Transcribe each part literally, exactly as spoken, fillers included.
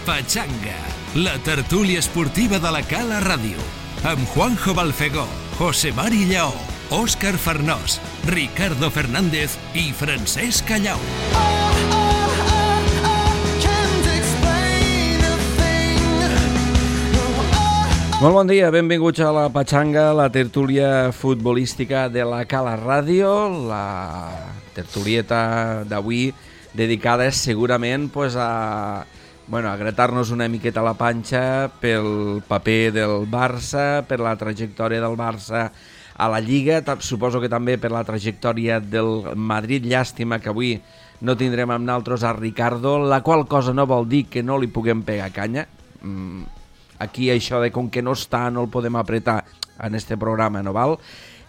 Pachanga, la tertúlia esportiva de la Cala Ràdio, amb Juanjo Balfegó, José Mari Lleó, Òscar Farnós, Ricardo Fernández i Francesc Callau. Molt bon dia, benvinguts a la Pachanga, la tertúlia futbolística de la Cala Ràdio, la tertulieta d'avui dedicada segurament pues, a, bueno, a gratar-nos una miqueta la panxa pel paper del Barça, per la trajectòria del Barça a la Lliga, suposo que també per la trajectòria del Madrid. Llàstima que avui no tindrem amb nosaltres a Ricardo, la qual cosa no vol dir que no li puguem pegar canya. Mm. Aquí això de com que no està no el podem apretar en este programa, no val?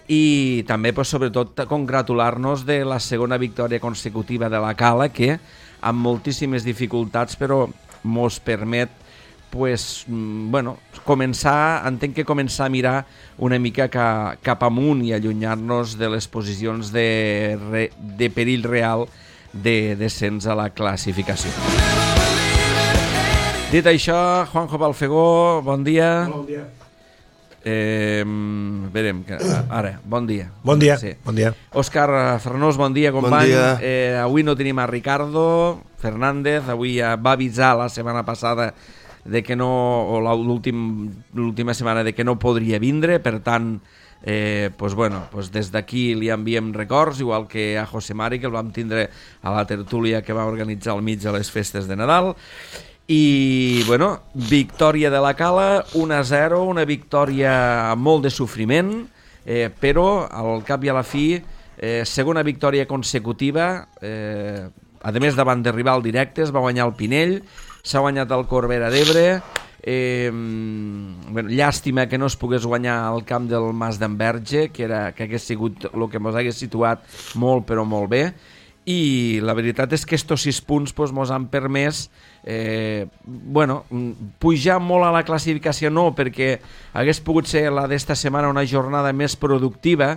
I també, pues, sobretot, congratular-nos de la segona victòria consecutiva de la Cala, que amb moltíssimes dificultats, però mos permet pues, bueno, començar, entenc que començar a mirar una mica ca, cap amunt i allunyar-nos de les posicions de, re, de perill real de descens a la classificació. Dit això, Juanjo Balfegó, bon dia. Hola, bon dia. Eh, verem, ara, bon dia. Bon dia, sí. Bon dia. Òscar Farnós, bon dia, company. Bon dia. Eh, avui no tenim a Ricardo Fernández, avui ja va avisar la setmana passada de que no, o l'última setmana de que no podria vindre, per tant, eh, pues bueno, pues des d'aquí li enviem records, igual que a José Mari, que el vam tindre a la tertúlia que va organitzar al mig de les festes de Nadal. I, bueno, victòria de la Cala, un a zero, una victòria amb molt de sofriment, eh, però al cap i a la fi, eh, segona victòria consecutiva, eh, a més davant de rival directes, va guanyar el Pinell, s'ha guanyat el Corbera d'Ebre, eh, bueno, llàstima que no es pogués guanyar al camp del Mas d'Enverge, que, era, que hagués sigut el que ens hagués situat molt però molt bé, i la veritat és que estos sis punts pues, mos han permès eh, bueno, pujar molt a la classificació, no perquè hagués pogut ser la d'esta setmana una jornada més productiva,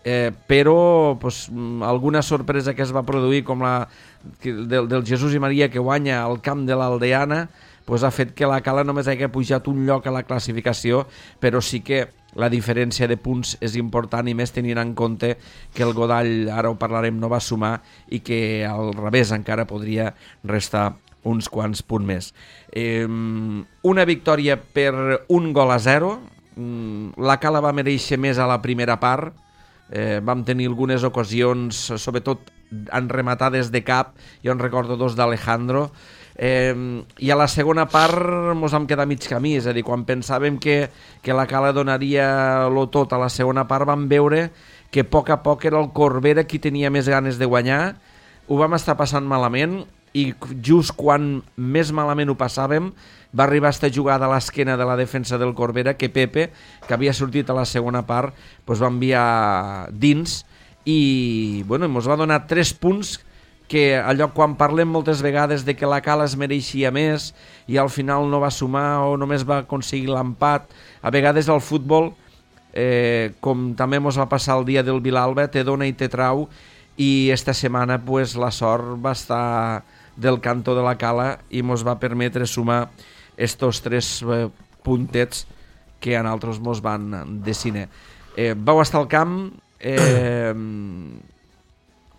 eh, però pues, alguna sorpresa que es va produir com la del, del Jesús i Maria que guanya al camp de l'Aldeana pues, ha fet que la Cala només hagi pujat un lloc a la classificació, però sí que la diferència de punts és important i més tenint en compte que el Godall, ara ho parlarem, no va sumar i que al revés encara podria restar uns quants punts més. Eh, una victòria per un gol a zero. La Cala va mereixer més a la primera part. Eh, vam tenir algunes ocasions, sobretot en rematades de cap. Jo en recordo dos d'Alejandro. Eh, i a la segona part mos vam quedar mig camí, és a dir, quan pensàvem que, que la Cala donaria lo tot a la segona part, vam veure que a poc a poc era el Corbera qui tenia més ganes de guanyar. Ho vam estar passant malament i just quan més malament ho passàvem va arribar esta jugada a l'esquena de la defensa del Corbera que Pepe, que havia sortit a la segona part, pues va enviar dins i bueno, mos va donar tres punts que allò quan parlem moltes vegades de que la Cala es mereixia més i al final no va sumar o només va aconseguir l'empat, a vegades el futbol, eh, com també ens va passar el dia del Vilalba, te dona i te trau, i esta setmana pues, la sort va estar del cantó de la Cala i ens va permetre sumar estos tres eh, puntets que a nosaltres ens van destinar. Eh, vau estar al camp, eh,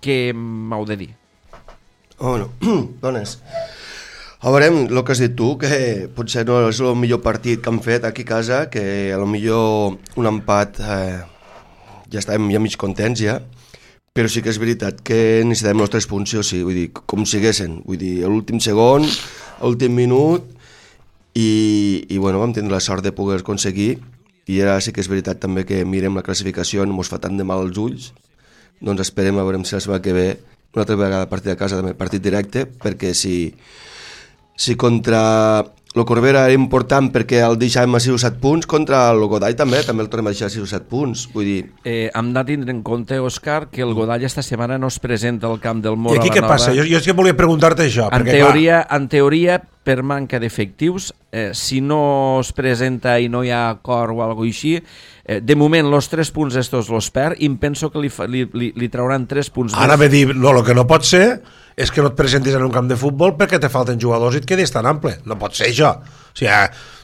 què m'heu de dir? Oh, no. Dones. A veure, el que has dit tu, que potser no és el millor partit que han fet aquí a casa, que a lo millor un empat eh, ja estàvem ja mig contents ja, però sí que és veritat que necessitem els tres punts, sí o sí, vull dir, com siguessin, vull dir, a l'últim segon, a l'últim minut, i, i bueno, vam tenir la sort de poder aconseguir, i ara sí que és veritat també que mirem la classificació, no ens fa tant de mal als ulls, doncs esperem a veure si la setmana que ve una altra vegada partit a casa, també partit directe, perquè si, si contra el Corbera era important perquè el deixàvem a sis o set punts, contra el Godall també, també el tornem a deixar a sis o set punts, vull dir... Eh, hem de tindre en compte, Òscar, que el Godall esta setmana no es presenta al camp del Mora. I aquí què passa? Jo, jo és que volia preguntar-te això. En, perquè, teoria, en teoria, per manca d'efectius, eh, si no es presenta i no hi ha acord o alguna cosa així, eh, de moment, els tres punts estos los perd i em penso que li, li, li, li trauran tres punts. Ara ve dir, no, el que no pot ser és que no et presentis en un camp de futbol perquè te falten jugadors i et quedis tan ample. No pot ser això. O sigui,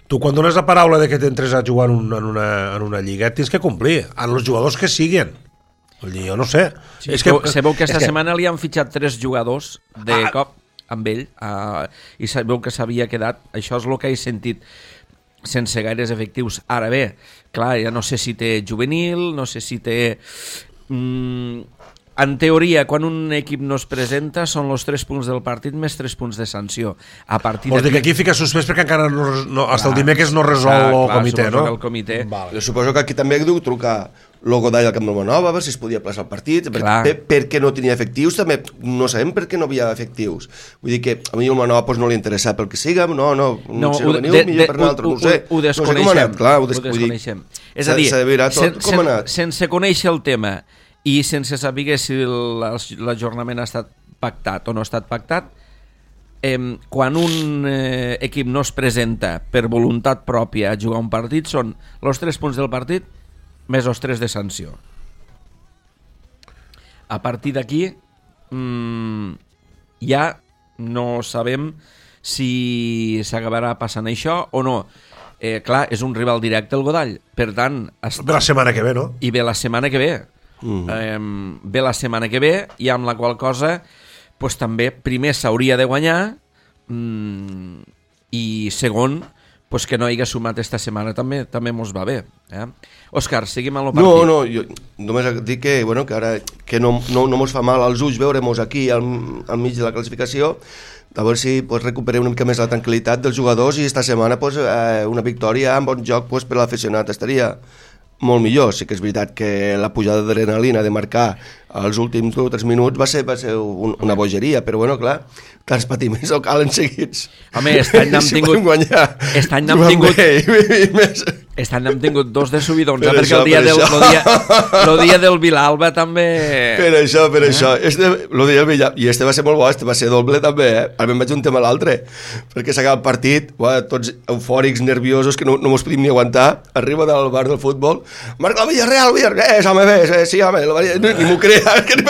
tu quan dones la paraula de que t'entres a jugar en una, en una, en una lliga tens que complir, en els jugadors que siguin. Vull dir, jo no sé. Sí, és que, sabeu que esta que... setmana li han fitxat tres jugadors de ah, cop amb ell uh, i sabeu que s'havia quedat, això és el que he sentit, sense gaires efectius. Ara bé, clar, ja no sé si té juvenil, no sé si té... Mm, en teoria, quan un equip no es presenta, són els tres punts del partit més tres punts de sanció. A partir Vols dir que aquí fica suspès perquè encara no, no, fins el dimecres no resol clar, el clar, comitè, no? El comitè. Vale. Jo suposo que aquí també he dut trucar el Godall al Camp del Manova, a veure si es podia plaçar el partit, perquè, perquè no tenia efectius, també no sabem per què no havia efectius. Vull dir que a mi el Manova pues, no li interessa pel que siga, no, no, no si no veniu, millor per l'altre, no ho sé. Ho desconeixem. No sé com ha anat, clar, ho, des, ho desconeixem. Dir, és a dir, sen, sen, sense conèixer el tema i sense saber si l'ajornament ha estat pactat o no ha estat pactat, eh, quan un eh, equip no es presenta per voluntat pròpia a jugar un partit, són els tres punts del partit més els tres de sanció. A partir d'aquí mmm, ja no sabem si s'acabarà passant això o no. Eh, clar, és un rival directe el Godall, per tant... Està... Ve la setmana que ve, no? I ve la setmana que ve. Mm. Eh, ve la setmana que ve i amb la qual cosa pues, també primer s'hauria de guanyar mm, i segon pues, que no hagi sumat esta setmana també també mos va bé. Eh? Òscar, seguim amb el partit. No, no, jo només dic que, bueno, que ara que no, no, no mos fa mal als ulls veure-mos aquí al, al mig de la classificació, a veure si pues, recuperem una mica més la tranquil·litat dels jugadors i esta setmana pues, eh, una victòria amb bon joc pues, per l'aficionat estaria molt millor. Sí que és veritat que la pujada d'adrenalina de marcar els últims dos o tres minuts va ser, va ser un, una bogeria, però bueno, clar, tants patiments o calen seguits. Home, aquest any n'hem si tingut... guanyar, aquest any n'hem tingut... Aquest any n'hem tingut dos de subidons, per perquè això, el dia, del, el, dia, el dia del Vilalba també... Per això, per eh? això. Este, lo dia del Vilalba, i este va ser molt bo, este va ser doble també, eh? Ara me'n vaig un tema a l'altre, perquè s'acaba el partit, uah, tots eufòrics, nerviosos, que no, no mos podíem ni aguantar, arriba del bar del futbol, marca el Villarreal, el Villarreal, eh, home, bé, sí, home, no, ni m'ho crea, que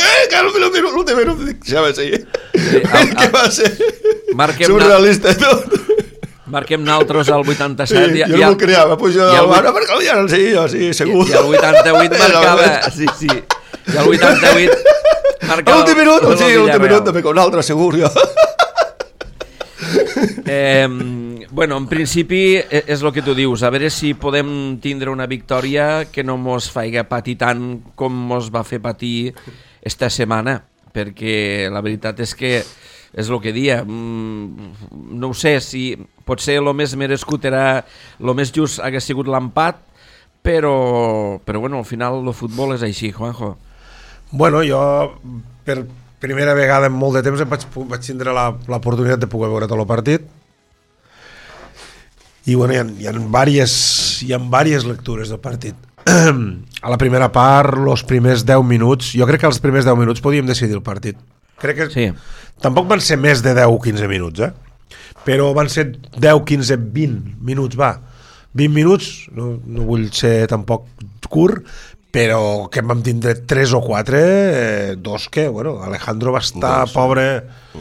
l'últim minut, dic, sí, home, sí, que va ser surrealista tot. Marquem naltros al vuitanta-set. Sí, jo no m'ho creava, pujo del bar, perquè el Villarreal, sí, jo, sí, segur. I el vuitanta-vuit marcava, sí, sí, i el vuitanta-vuit marcava... L'últim minut, sí, l'últim minut també con l'altre, segur, jo. Eh, bueno, en principi és el que tu dius, a veure si podem tindre una victòria que no mos faci patir tant com mos va fer patir esta setmana, perquè la veritat és que és el que dia, no ho sé, si potser el més merescut era, el més just hagués sigut l'empat, però, però bueno, al final el futbol és així, Juanjo. Bueno, jo per primera vegada en molt de temps em vaig, vaig tindre l'oportunitat de poder veure tot el partit i bueno, hi ha, hi ha, diverses, hi ha diverses lectures del partit. A la primera part, els primers deu minuts, jo crec que els primers deu minuts podíem decidir el partit. Crec que sí. Tampoc van ser més de deu o quinze minuts, eh? Però van ser deu, quinze, vint minuts, va. vint minuts, no, no vull ser tampoc curt, però que vam tindre tres o quatre, eh, dos que, bueno, Alejandro va estar dos, pobre,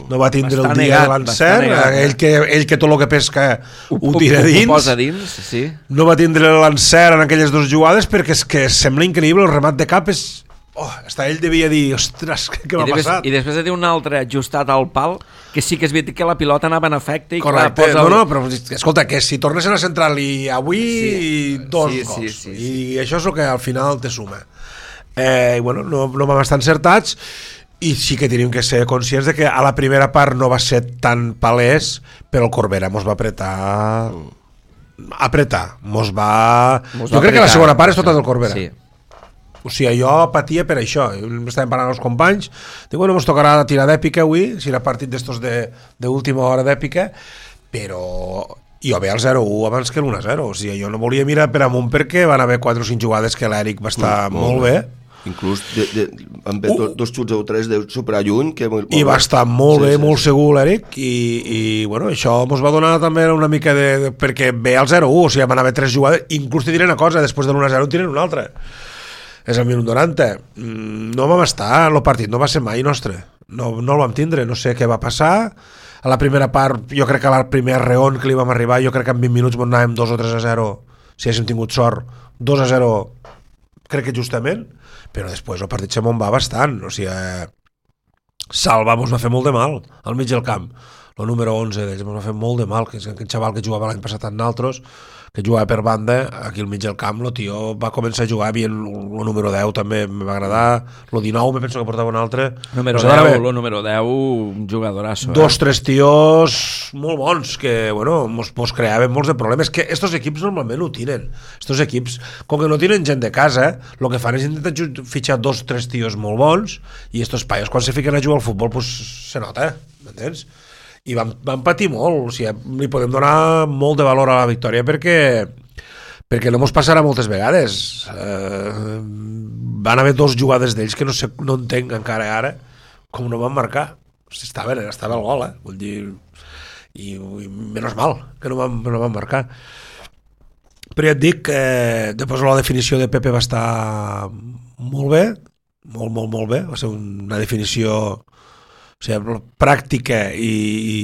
no va tindre el dia negat, de l'encert, ell, que, ell que tot el que pesca ho, ho tira dins, ho posa dins, sí. No va tindre l'encert en aquelles dues jugades perquè és que sembla increïble, el remat de cap és... Oh, hasta ell devia dir, ostres, què m'ha passat? I després de dir un altre ajustat al pal, que sí que és veritat que la pilota anava en efecte. I correcte, clar, posa el... no, no, però escolta, que si tornessin a centrar-li avui, sí, dos sí, gols. Sí, sí, sí. I això és el que al final te suma. Eh, I bueno, no, no vam estar encertats, i sí que tenim que ser conscients de que a la primera part no va ser tan palès, però el Corbera mos va apretar... Apretar, mos va... Mos jo va crec apretar, que la segona part és tota del Corbera. Sí. O sigui, jo patia per això, estàvem parlant amb els companys, dic, bueno, ens tocarà tirar d'èpica avui, si era partit d'estos d'última hora d'èpica, però jo ve al zero u abans que l'u a zero, o sigui, jo no volia mirar per amunt perquè van haver quatre o cinc jugades que l'Eric va estar mm, molt, molt bé. Inclús de, de, van haver uh, dos xuts o tres de superar lluny. Que molt, I va estar molt sí, bé, sí, molt sí. segur l'Eric, i, i bueno, això ens va donar també una mica de... de perquè ve al zero u, o sigui, van haver tres jugades, inclús te diré una cosa, després de l'u a zero en tiren una altra. És el minut noranta. No vam estar, el partit no va ser mai nostre. no, no el vam tindre, no sé què va passar. A la primera part, jo crec que al primer reon que li vam arribar, jo crec que en vint minuts on anàvem dos o tres a zero, si haguéssim tingut sort, dos a zero, crec que justament, però després el partit se m'on va bastant, o sigui, eh, Salva mos va fer molt de mal al mig del camp, el número onze d'ells mos va fer molt de mal, que és aquell xaval que jugava l'any passat amb naltros, que jugava per banda, aquí al mig del camp, el tio va començar a jugar bien, el número deu també em va agradar, el dinou me penso que portava un altre. Número deu, el número deu, un jugadorasso. Eh? Dos, tres tios molt bons, que, bueno, mos, mos creaven molts de problemes, que estos equips normalment ho tienen. Estos equips, com que no tenen gent de casa, el que fan és intentar fitxar dos, tres tios molt bons, i estos paios, quan se fiquen a jugar al futbol, pues, se nota, m'entens? I vam, vam patir molt, o sigui, li podem donar molt de valor a la victòria perquè perquè no mos passarà moltes vegades. Eh, van haver dos jugades d'ells que no, sé, no entenc encara ara com no van marcar. Estava, estava el gol, eh? Vull dir, i, i menys mal que no van, no van marcar. Però ja et dic que eh, després la definició de Pepe va estar molt bé, molt, molt, molt bé, va ser una definició, o sigui, pràctica i, i,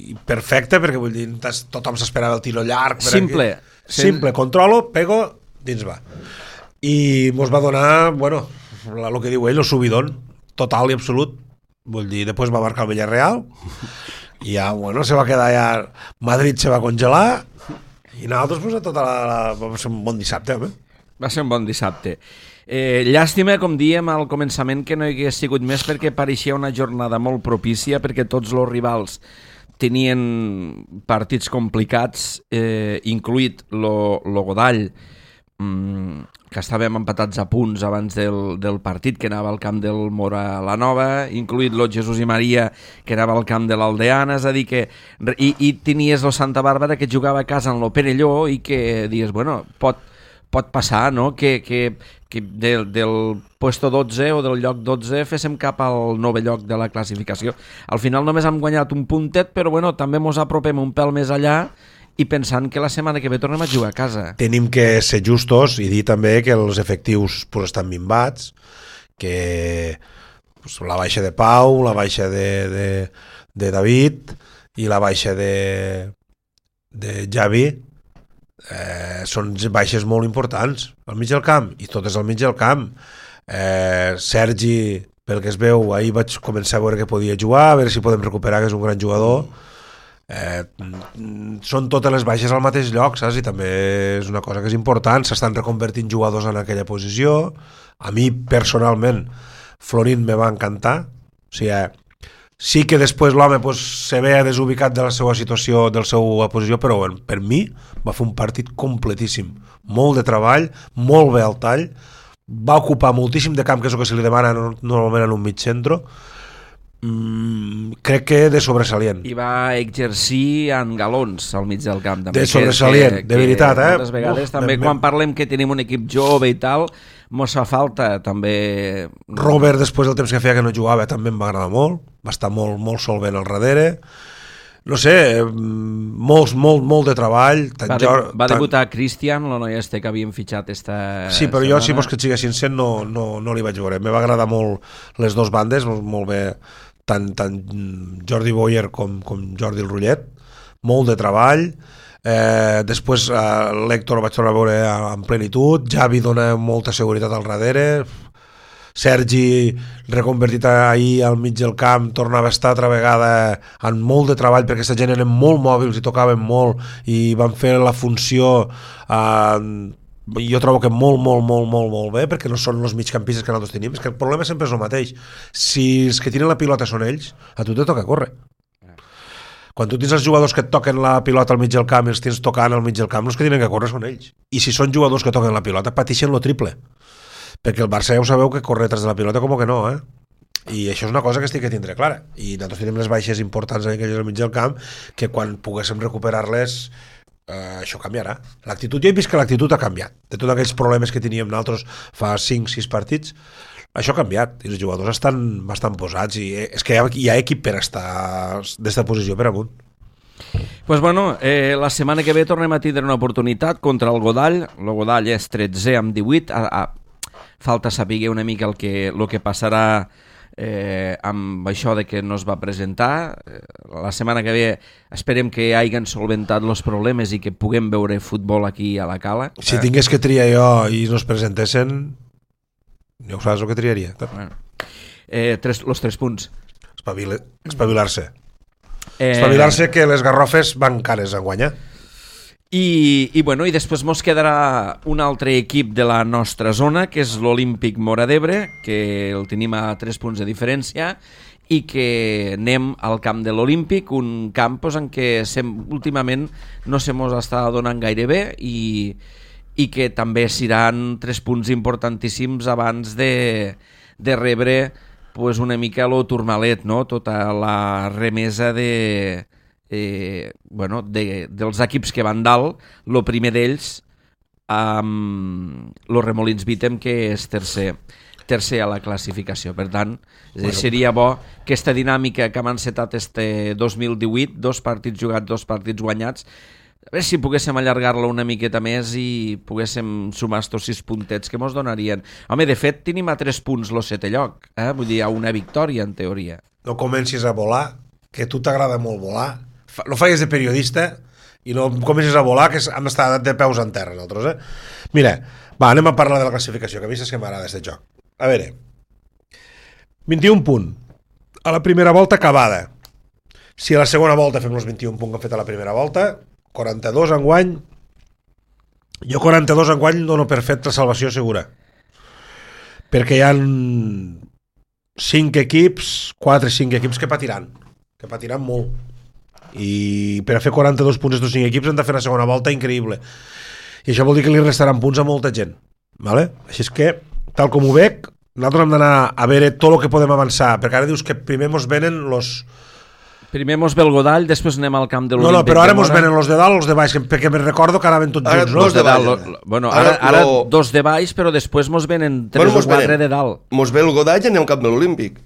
i perfecta, perquè vull dir, tothom s'esperava el tiro llarg. Simple. Aquí. Simple, controlo, pego, dins va. I mos va donar, bueno, el que diu ell, el subidón, total i absolut. Vull dir, després va marcar el Villarreal, i ja, bueno, se va quedar ja... Madrid se va congelar, i nosaltres, pues, a tota la, la... va ser un bon dissabte, home. Va ser un bon dissabte. Eh, llàstima, com diem al començament, que no hi hagués sigut més, perquè pareixia una jornada molt propícia, perquè tots els rivals tenien partits complicats, eh, incluït lo, lo Godall, mm, que estàvem empatats a punts abans del, del partit, que anava al camp del Mora la Nova, incluït lo Jesús i Maria, que anava al camp de l'Aldeana, és a dir que... I, i tenies lo Santa Bàrbara, que jugava a casa en lo Perelló, i que dius, bueno, pot... pot passar, no?, que, que, que del, del puesto dotze o del lloc dotze féssim cap al nou lloc de la classificació. Al final només hem guanyat un puntet, però bueno, també mos apropem un pèl més allà i pensant que la setmana que ve tornem a jugar a casa. Tenim que ser justos i dir també que els efectius pues, estan minvats, que pues, la baixa de Pau, la baixa de, de, de David i la baixa de, de Javi, Eh, són baixes molt importants al mig del camp, i totes al mig del camp. eh, Sergi, pel que es veu, ahir vaig començar a veure que podia jugar, a veure si podem recuperar, que és un gran jugador. eh, són totes les baixes al mateix lloc, saps? I també és una cosa que és important, s'estan reconvertint jugadors en aquella posició. A mi personalment Florín me va encantar, o sigui, sí que després l'home pues, se ve desubicat de la seva situació, de la seva posició, però bueno, per mi va fer un partit completíssim, molt de treball, molt bé al tall, va ocupar moltíssim de camp, que és el que se li demana normalment en un mig centre. mm, crec que de sobresalient. I va exercir en galons al mig del camp també, de sobresalient, que, de veritat, eh? Moltes vegades Uf, també me, quan parlem que tenim un equip jove i tal, mos fa falta també... Robert, després del temps que feia que no jugava, també em va agradar molt, va estar molt, molt solvent al darrere. No sé, molt, molt, molt de treball. Va, de, va debutar tant... Cristian, el noi este que havíem fitxat esta Sí, però setmana. Jo, si vols que et sigui sincer, no, no, no li vaig veure. Me va agradar molt les dues bandes, molt bé, tant, tant Jordi Boyer com, com Jordi el Rullet. Molt de treball. Eh, després eh, l'Héctor el vaig tornar a veure en plenitud. Javi dona molta seguretat al darrere. Sergi, reconvertit ahir al mig del camp, tornava a estar altra vegada amb molt de treball, perquè aquesta gent eren molt mòbils i tocaven molt i van fer la funció, eh, jo trobo que molt, molt, molt, molt, molt bé, perquè no són els migcampistes que nosaltres tenim. És que el problema sempre és el mateix. Si els que tiren la pilota són ells, a tu te toca córrer. Quan tu tens els jugadors que et toquen la pilota al mig del camp i els tens tocant al mig del camp, els que tenen que córrer són ells. I si són jugadors que toquen la pilota, pateixen lo triple. Perquè el Barça ja ho sabeu que corre tras de la pilota com que no, eh? I això és una cosa que estic que tindré clara. I nosaltres tenim les baixes importants en aquells al mig del camp, que quan poguéssim recuperar-les, eh, això canviarà. L'actitud, jo he vist que l'actitud ha canviat. De tots aquells problemes que teníem nosaltres fa cinc sis partits, això ha canviat. I els jugadors estan bastant posats. I és que hi ha, hi ha equip per estar d'esta posició per amunt. Pues bueno, eh, la setmana que ve tornem a tindre una oportunitat contra el Godall. El Godall és tretze amb divuit. A, a, falta saber una mica el que, el que passarà eh, amb això de que no es va presentar. Eh, la setmana que ve esperem que hagin solventat els problemes i que puguem veure futbol aquí a la Cala. Si eh. tingués que triar jo i no es presentessin, ja ho saps el que triaria. Bueno. Eh, tres, los tres punts. Espavila, espavilar-se. Eh... Espavilar-se que les garrofes van cares a guanyar. I, i, bueno, i després mos quedarà un altre equip de la nostra zona, que és l'Olímpic Móra d'Ebre, que el tenim a tres punts de diferència, i que anem al camp de l'Olímpic, un camp pues, en què sem, últimament no se mos està donant gaire bé i, i que també seran tres punts importantíssims abans de, de rebre pues, una mica lo turmalet, no? Tota la remesa de... Eh, bueno, de, dels equips que van dalt. El primer d'ells amb um, los Remolins Vitem, que és tercer tercer a la classificació. Per tant, bueno, seria bo que aquesta dinàmica que hem encetat este dos mil divuit, dos partits jugats, dos partits guanyats, a veure si poguéssim allargar-la una miqueta més i poguéssim sumar estos sis puntets que mos donarien. Home, de fet, tenim a tres punts el setè lloc, eh? Vull dir, a una victòria, en teoria. No comencis a volar, que a tu t'agrada molt volar. No faigues de periodista i no comencis a volar, que hem estat de peus en terra nosaltres, eh? Mira, va, anem a parlar de la classificació, que a mi saps que m'agrada aquest joc. A veure, vint-i-un punt a la primera volta acabada. Si a la segona volta fem els vint-i-un punts que hem fet a la primera volta, quaranta-dos enguany, jo quaranta-dos enguany dono per fet la salvació segura, perquè hi ha cinc equips, quatre o cinc equips que patiran, que patiran molt. I per a fer quaranta-dos punts estos cinc equips han de fer la segona volta increïble, i això vol dir que li restaran punts a molta gent, vale? Així és que, tal com ho veig, nosaltres hem d'anar a veure tot el que podem avançar, perquè ara dius que primer mos venen los... Primer mos ve el Godall, després anem al camp de l'Olímpic. No, no, però ara mos venen los de dalt, los de baix, perquè me recordo que ara ven tots junts, no? Dos de dalt. Lo, lo, bueno, ara, ara, ara dos de baix, però després mos venen tres bueno, o quatre de dalt. Mos ve el Godall i anem al camp de l'Olímpic.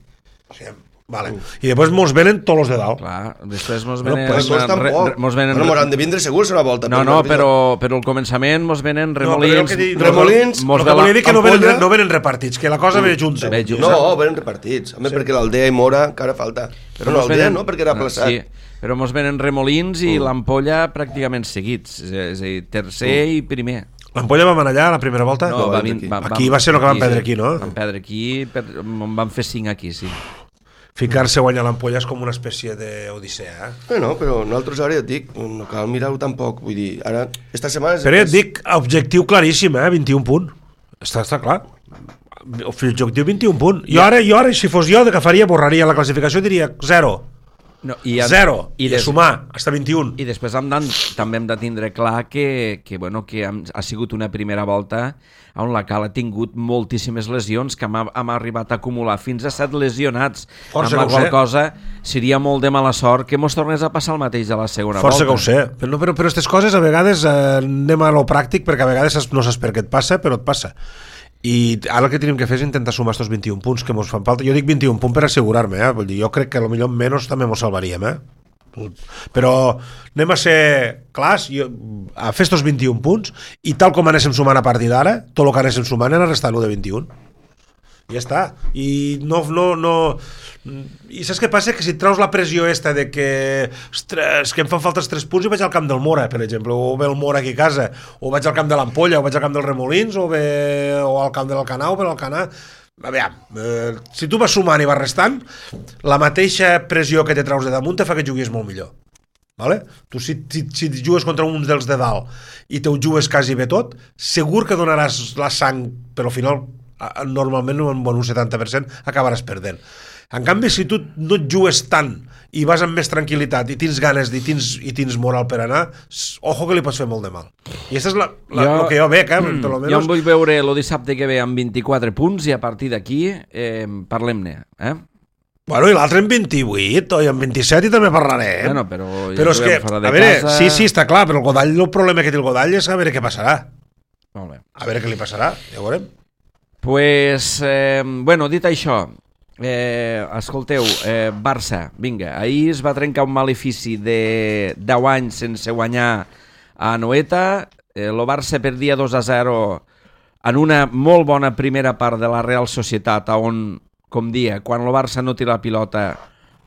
Sí, vale. I després mos venen tots els de dalt. Clar, després mos venen... No, pues re, re, mos venen bueno, mos han de vindre segurs una volta. No, no, però, però al començament mos venen Remolins... No, dic, remolins, no, no, volia dir que no venen, no venen repartits, que la cosa ve junta. Ve junta. No, venen repartits. Home, sí. Perquè l'Aldea i Mora encara falta. Però no, l'Aldea no, perquè era plaçat. Sí, però mos venen Remolins i mm. l'Ampolla pràcticament seguits. És a dir, tercer mm. i primer. L'Ampolla vam anar allà a la primera volta? No, no va, aquí. Va, aquí va ser el que vam perdre aquí, no? Vam perdre aquí, per, vam fer cinc aquí, sí. Ficar-se a guanyar l'Ampolla és com una espècie d'odissea, eh? Bueno, però nosaltres ara ja et dic, no cal mirar-ho tampoc, vull dir, ara, esta setmana... Però ja et dic, objectiu claríssim, eh? vint-i-un punt. Està, està clar. Objectiu vint-i-un punt. Jo ara, jo ara, si fos jo, que faria, borraria la classificació i diria zero. No, i en, zero, i, i des, sumar, hasta vint-i-un. I després hem de, també hem de tindre clar que, que, bueno, que hem, ha sigut una primera volta on la Cala ha tingut moltíssimes lesions, que hem, hem arribat a acumular fins a set lesionats. Força amb la qual sé. cosa seria molt de mala sort que mos tornés a passar el mateix a la segona Força volta. Força que ho sé, però, però, però aquestes coses a vegades eh, anem a lo pràctic, perquè a vegades no saps per què et passa, però et passa. I ara el que tenim que fer és intentar sumar estos vint-i-un punts que mos fan falta. Jo dic vint-i-un punts per assegurar-me, eh? Vull dir, jo crec que potser menys també mos salvaríem, eh? Però anem a ser clars, jo, a fer estos vint-i-un punts, i tal com anéssim sumant a partir d'ara, tot el que anéssim sumant era restar-lo de vint-i-un. I ja està. I no, no, no... I saps què passa? Que si et treus la pressió esta de que, ostres, que em fan falta els tres punts i vaig al camp del Mora, per exemple, o ve el Mora aquí a casa, o vaig al camp de l'Ampolla, o vaig al camp dels Remolins, o, ve, o al camp de l'Alcanar, o per l'Alcanar... A veure, eh, si tu vas sumant i vas restant, la mateixa pressió que te treus de damunt te fa que juguis molt millor. Vale? Tu si, si, si jugues contra uns dels de dalt i te ho jugues quasi bé tot, segur que donaràs la sang, però al final normalment en un setanta per cent acabaràs perdent. En canvi, si tu no et jugues tant i vas amb més tranquil·litat i tens ganes i tens, i tens moral per anar, ojo que li pots fer molt de mal. I això és la, la, jo, el que jo veig, eh? Mm, menos... Jo em vull veure el dissabte que ve amb vint-i-quatre punts i a partir d'aquí eh, parlem-ne, eh? Bueno, i l'altre en vint-i-vuit o en vint-i-set i també parlarem. Bueno, però ja però és que, a veure, casa... sí, sí, està clar, però el Godall, el problema que té el Godall és a veure què passarà. Molt bé. A veure què li passarà, ja ho veurem. Pues, eh, bueno, dit això, eh, escolteu, eh, Barça, vinga, ahir es va trencar un malefici de deu anys sense guanyar a Anoeta, eh, el Barça perdia dos a zero en una molt bona primera part de la Real Societat, on com dia, quan el Barça no té la pilota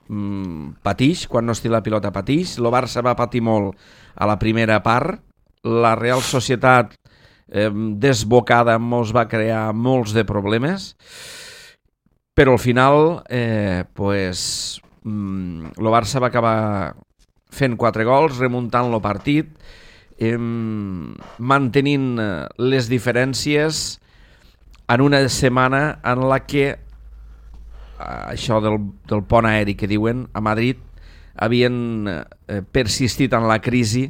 mmm, patix, quan no es té la pilota patix, el Barça va patir molt a la primera part, la Real Societat eh, desbocada mos va crear molts de problemes, però al final eh, pues, mmm, el Barça va acabar fent quatre gols, remuntant el partit, eh, mantenint les diferències en una setmana en la que això del, del pont aeri que diuen a Madrid havien eh, persistit en la crisi,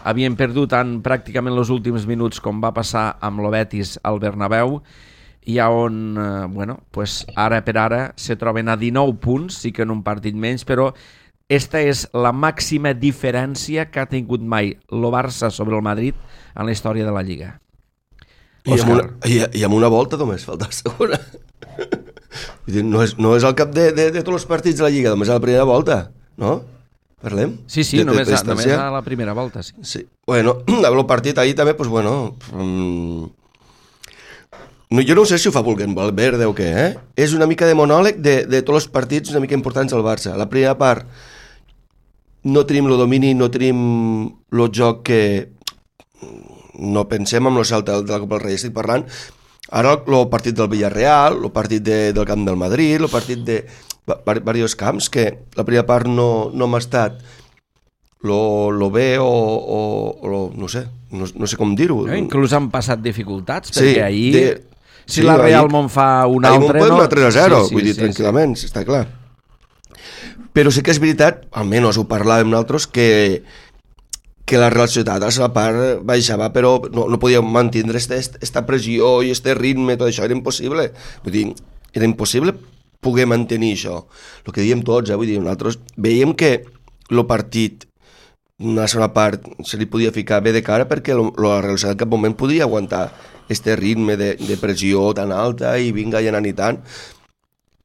havien perdut en pràcticament els últims minuts com va passar amb el Betis al Bernabéu, i on eh, bueno, pues ara per ara se troben a dinou punts, sí que en un partit menys, però esta és la màxima diferència que ha tingut mai el Barça sobre el Madrid en la història de la Lliga. I amb, una, i, i amb una volta només falta la segona. No és, no és al cap de, de, de tots els partits de la Lliga, només a la primera volta, no? Parlem? Sí, sí, de, només, de, a, només a la primera volta, sí. Sí. Bueno, el partit ahir també, pues bueno... Um, no, jo no sé si ho fa volent Valverde o què, eh? És una mica de monòleg de, de tots els partits una mica importants al Barça. La primera part no tenim el domini, no tenim el joc que... No pensem en el salt de la Copa del Rei, estic parlant ara el partit del Villarreal, el partit de, del camp del Madrid, el partit de diversos camps que la primera part no, no m'ha estat lo, lo bé o, o, o lo, no sé, no, no sé com dir-ho. Eh, inclús han passat dificultats, sí, perquè ahir, de, si sí, la Real me'n fa un altre, no... Ahir me'n tres a zero, sí, sí, vull dir, sí, tranquil·lament, sí. Està clar. Però sí que és veritat, almenys ho parlàvem nosaltres, que que la Real Societat a la part baixava, però no, no podia mantindre aquesta pressió i este ritme, tot això era impossible. Vull dir, era impossible poder mantenir això. El que diem tots, eh? Vull dir, nosaltres veiem que el partit, una segona part, se li podia ficar bé de cara perquè lo, la Real Societat en cap moment podia aguantar este ritme de, de pressió tan alta i vinga i anant i tant.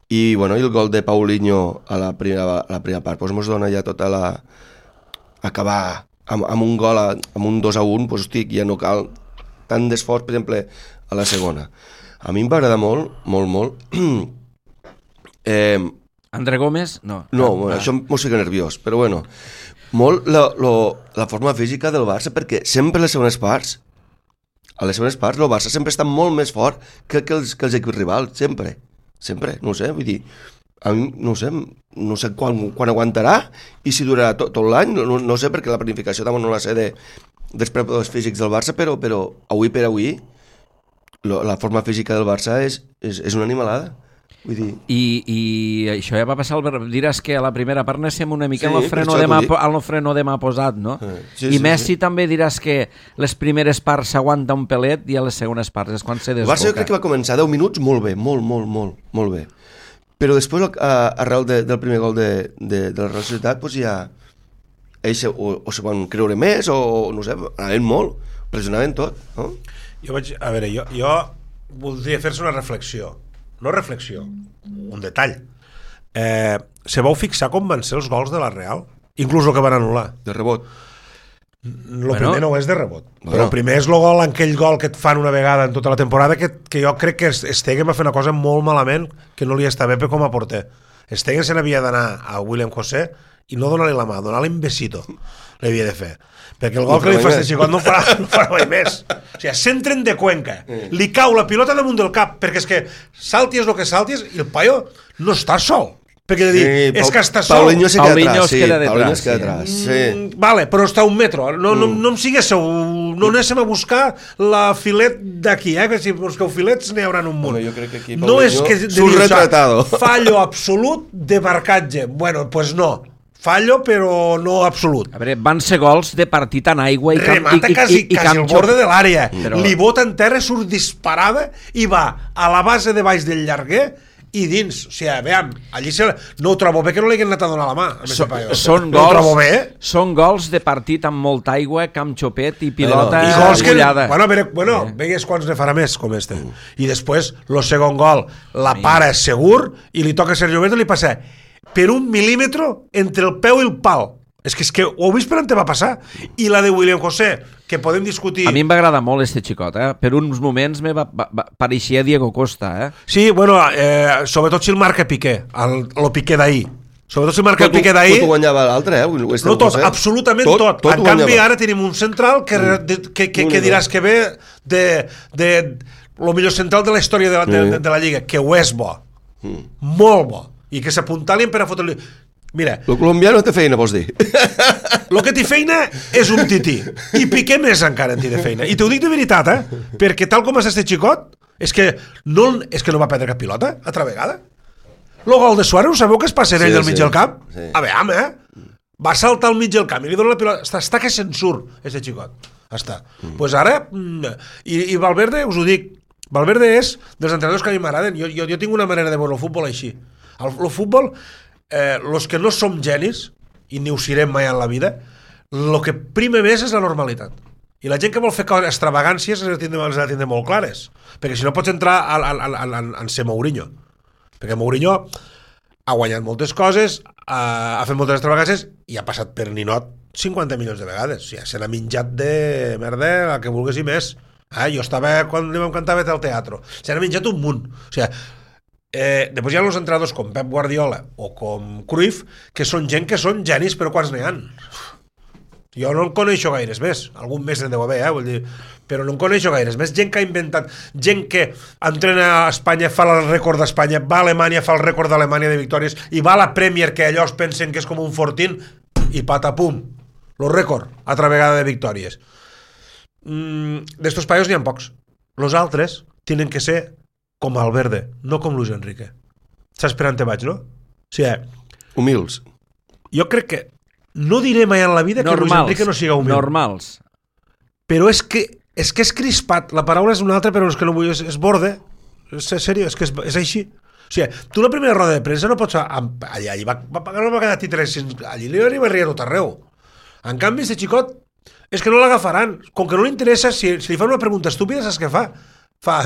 I, bueno, i el gol de Paulinho a la primera, a la primera part, doncs mos dona ja tota la... acabar... Amb, amb un gol, a, amb un dos a un, doncs, hosti, ja no cal tant d'esforç, per exemple, a la segona. A mi em va agradar molt, molt, molt. eh, André Gómez? No. No, ah, bueno, ah. Això m'ho fica nerviós, però bueno. Molt la, la, la forma física del Barça, perquè sempre a les segones parts, a les segones parts, el Barça sempre està molt més fort que, que, els, que els equips rivals, sempre. Sempre, no ho sé, vull dir... A mi, no sé, no sé quan, quan aguantarà i si durarà tot, tot l'any, no, no sé, perquè la planificació també no la sé de, dels preparadors físics del Barça, però, però avui per avui lo, la forma física del Barça és, és, és una animalada. Vull dir... I, I això ja va passar, al... diràs que a la primera part anéssim una mica sí, al freno de mà, al freno de mà posat, no? Sí, I sí, Messi sí. També diràs que les primeres parts s'aguanta un pelet i a les segones parts és quan se desboca. El Barça jo crec que va començar deu minuts molt bé, molt, molt, molt, molt bé. Però després, arrel de, del primer gol de, de, de la Real Societat, doncs ja ells o, o se van creure més o, no sé, anaven molt, pressionaven tot, no? Jo vaig, a veure, jo, jo voldria fer-se una reflexió, no reflexió, un detall. Eh, se vau fixar com van ser els gols de la Real? Inclús el que van anul·lar. De rebot. El bueno, primer no és de rebot, bueno. Però el primer és el gol, aquell gol que et fan una vegada en tota la temporada que, que jo crec que Stegen va fer una cosa molt malament que no li està bé com a porter. Stegen se n'havia d'anar a William José i no donar-li la mà, donar-li un besito l'havia de fer, perquè el gol no que li fa este xicot no ho farà, no farà mai més. O sigui, s'entren de Cuenca, li cau la pilota damunt del cap, perquè és que saltis el que saltis i el paio no està sol. Perquè de dir, sí, és que està sol. Paulinho se queda Paulinho atrás, sí, queda Paulinho detrás, es queda atrás, sí. sí. Mm, vale, però està a un metro. No, no, no em siguéssiu, no anéssim a buscar la filet d'aquí, eh? Que si busqueu filets n'hi haurà un munt. Home, jo crec que aquí no és que surt retratado. Fallo absolut de marcatge. Bueno, pues no. Fallo, però no absolut. A veure, van ser gols de partit en aigua i camp, remata i, quasi, i, i, i quasi al borde de l'àrea. Però... li bota en terra, surt disparada i va a la base de baix del llarguer i dins, o sigui, veiem, allí se... no ho trobo bé que no li haguin anat a donar la mà. So, són, no gols, bé. són gols de partit amb molta aigua, camp xopet i pilota I gols que, bullada. bueno, veure, bueno eh. vegues quants ne farà més com este. Mm. I després, el segon gol, la para segur i li toca a Sergio Roberto i li passa per un mil·límetre entre el peu i el pal. És que, és que ho heu vist per on te va passar. I la de William José, que podem discutir... A mi em va agradar molt este xicot, eh? Per uns moments me va, va, va, pareixia Diego Costa, eh? Sí, bueno, eh, sobretot si el marca Piqué, el, el Piqué d'ahir. Sobretot si el marca el Piqué d'ahir... Tot ho guanyava l'altre, eh? No tot, absolutament tot. tot. tot en canvi, guanyava. Ara tenim un central que, mm. que, que, que diràs que ve de, de, de lo millor central de la història de la, de, de, de la Lliga, que ho és bo. Mm. Molt bo. I que s'apuntalien per a fotre-li... Mira... El colombià no té feina, vols dir? El que té feina és un tití. I Piqué més encara en té de feina. I t'ho dic de veritat, eh? Perquè tal com és este xicot, és que no, és que no va perdre cap pilota, altra vegada. El gol de Suárez, sabeu que es passa ell sí, al mig sí, del camp? Sí. A veure, eh? Va saltar al mig del camp i li dona la pilota. Està, està que se'n surt, este xicot. Està. Doncs mm. pues ara... I, I Valverde, us ho dic, Valverde és dels entrenadors que a mi m'agraden. Jo, jo, jo tinc una manera de veure el futbol així. El, el futbol... Eh, los que no som genis i ni ho serem mai en la vida, el que prima més és la normalitat, i la gent que vol fer extravagàncies les ha de tindre, les ha de tindre molt clares, perquè si no pots entrar a, a, a, a, a ser Mourinho, perquè Mourinho ha guanyat moltes coses, ha, ha fet moltes extravagàncies i ha passat per ninot cinquanta milions de vegades, o sigui, se n'ha menjat de merda el que volgués i més. Ah, jo estava quan li vam cantar al teatre, se n'ha menjat un munt, o sigui, Eh, després hi ha els entrenadors com Pep Guardiola o com Cruyff, que són gent que són genis, però quants n'hi ha? Jo no en coneixo gaires més, algun més en deu haver, eh? Vull dir, però no en coneixo gaires més. Gent que ha inventat, gent que entrena a Espanya, fa el rècord d'Espanya, va a Alemanya, fa el rècord d'Alemanya de victòries, i va a la Premier, que allò es pensen que és com un fortín, i patapum, el rècord, altra vegada de victòries. Mm, d'estos paios n'hi ha pocs. Los altres tenen que ser com Valverde, no com Luis Enrique. Saps per on te vaig, no? O sigui, humils. Jo crec que no diré mai en la vida normals, que Luis Enrique no siga humil. Normals. Però és que és que és crispat. La paraula és una altra, però és que no vull... És, és borde. És seriós, és que és, és així. O sigui, tu la primera roda de premsa no pots... Allí, allí va, va pagar una vegada titres, allí li arriba a riar tot arreu. En canvi, este xicot és que no l'agafaran. Com que no li interessa, si, si li fan una pregunta estúpida, saps què fa? Fa,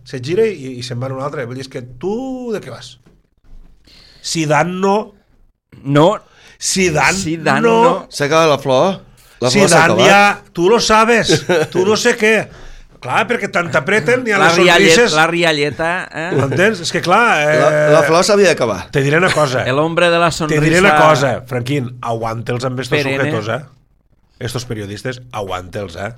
se gira i, i se'n va en un altre. Vull dir, és que tu de què vas? Zidane no. No. Zidane, Zidane no. no. S'ha acabat la flor. La flor Zidane ja, tu lo sabes. Tu no sé què. Clar, perquè tant t'apreten i a les sonrises... La rialleta, eh? M'entens? És que clar... Eh... La, la flor s'havia d'acabar. Te diré una cosa. El hombre de la sonrisa... Te diré una cosa, Franquín. Aguanta'ls amb estos sujetos, eh? Estos periodistes, aguanta'ls, eh?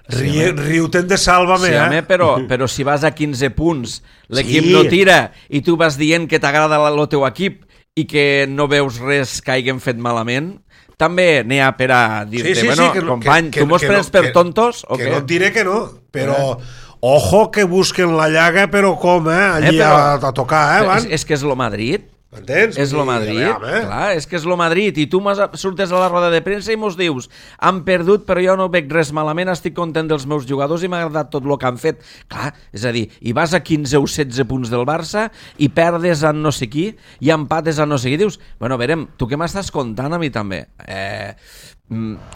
Sí, riu-te'n de Sálvame, sí, eh? Home, però, però si vas a quinze punts, l'equip sí. no tira i tu vas dient que t'agrada el teu equip i que no veus res que hagin fet malament, també n'hi ha per a dir-te, sí, sí, bueno, sí, que, company, que, tu mos prens no, per que, tontos o que què? No et diré que no, però eh? Ojo que busquen la llaga, però com, eh? Allí eh, però, a, a tocar, eh? Van? És, és que és lo Madrid. M'entens? És lo Madrid, eh? Clar, és que és lo Madrid i tu surtes a la roda de premsa i mos dius han perdut però jo no veig res malament, estic content dels meus jugadors i m'ha agradat tot el que han fet. Clar, és a dir, i vas a quinze o setze punts del Barça i perdes a no sé qui i empates a no sé qui, dius, bueno, verem, tu què m'estàs contant a mi també? Eh...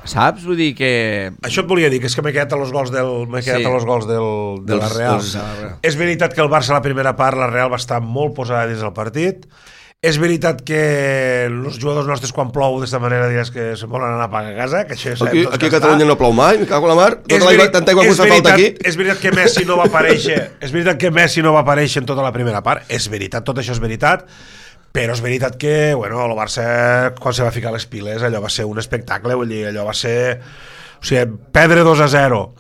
saps? Vull dir que... Això et volia dir, que és que m'he quedat a los gols del, m'he quedat sí. a los gols del, de la Real. Dels, dels... És veritat que el Barça a la primera part, la Real va estar molt posada dins del partit. És veritat que els jugadors nostres quan plou d'esta manera diràs que se'n volen anar a pagar a casa, que això aquí, aquí a Catalunya no plou mai, me cago en la mar, tota la, tanta aigua que fa falta aquí. És veritat que Messi no va aparèixer, és veritat que Messi no va aparèixer en tota la primera part, és veritat, tot això és veritat, però és veritat que, bueno, el Barça quan se va ficar les piles, allò va ser un espectacle, vull dir, allò va ser, o sigui, perdre dos a zero.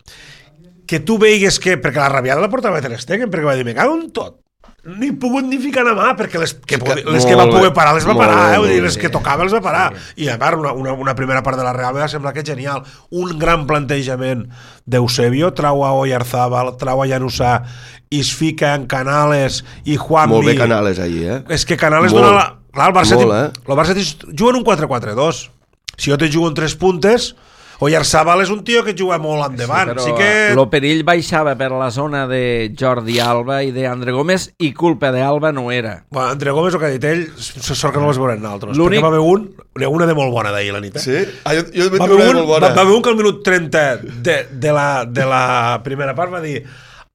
Que tu veigues que, perquè la rabiada la portava Ter Stegen, perquè va dir, me cago en tot. Ni pogut ni ficar a mà, perquè les que, que, les que va poder parar les va parar, eh? Vull dir, les que tocava els va parar. I a part, una, una, una primera part de la Real va semblar que genial. Un gran plantejament d'Eusebio, trau a Oyarzábal, trau a Januzaj, i es fica en Canales i Juanmi. Molt bé Canales allí, eh? És que Canales molt, dona la... Clar, el Barça, molt, eh? el Barça juga en un quatre quatre dos. Si jo te jugo en tres puntes... Oyarzábal és un tio que juga molt endavant. Sí, sí que... el perill baixava per la zona de Jordi Alba i d'André Gómez i culpa d'Alba no era. Bueno, André Gómez, el que ha dit ell, sort que no les veurem nosaltres. Perquè va haver un, una de molt bona d'ahir la nit. Eh? Sí? Ah, jo, jo va, haver un, molt bona. Va, va haver un que al minut trenta de, de, la, de la primera part va dir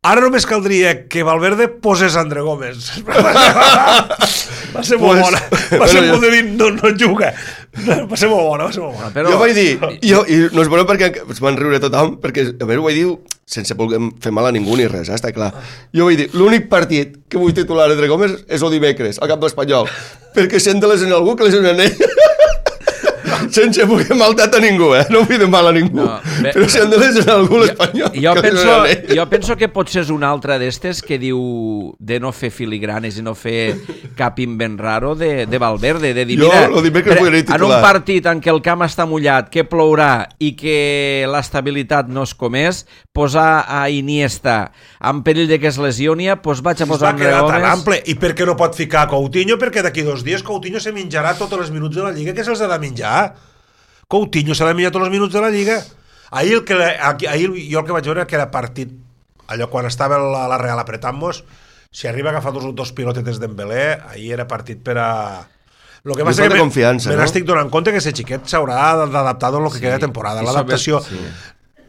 ara només caldria que Valverde posés André Gómez. Va ser molt pues, bona. Va ser molt de dir, no, no juga. Va ser molt bona, va ser molt bona. Però... Jo vaig dir, jo, i no es veurà perquè es van riure tothom, perquè a veure, ho vaig dir sense voler fer mal a ningú ni res, eh, està clar. Jo vaig dir, l'únic partit que vull titular entre comes és el dimecres, al camp d'Espanyol, perquè sent de lesionar algú que lesionen ell. Sense voler maldat a ningú, eh? No vull de mal a ningú. No, bé, però si han de lesionar algú l'Espanyol... Jo, jo, penso, jo penso que potser és una altra d'estes que diu de no fer filigranes i no fer cap invent raro de, de Valverde, de dir, mira, jo, en un partit en què el camp està mullat, que plourà i que l'estabilitat no es comés, posar a Iniesta en perill de que es lesioni, doncs vaig a posar un Regomes... ample. I per què no pot ficar Coutinho? Perquè d'aquí dos dies Coutinho se menjarà tots els minuts de la Lliga que se'ls ha de menjar. Coutinho s'ha de menjar tots els minuts de la Lliga. Ahir, el que, ahir jo el que vaig veure que era partit, allò quan estava la, la Real apretant-nos, si arriba a agafar dos, dos pilotetes d'Embelé, ahir era partit per a... Lo que passa que me, confiança, me no? n'estic donant compte que ese xiquet s'haurà d'adaptar en el que sí, queda de temporada, l'adaptació. Sí.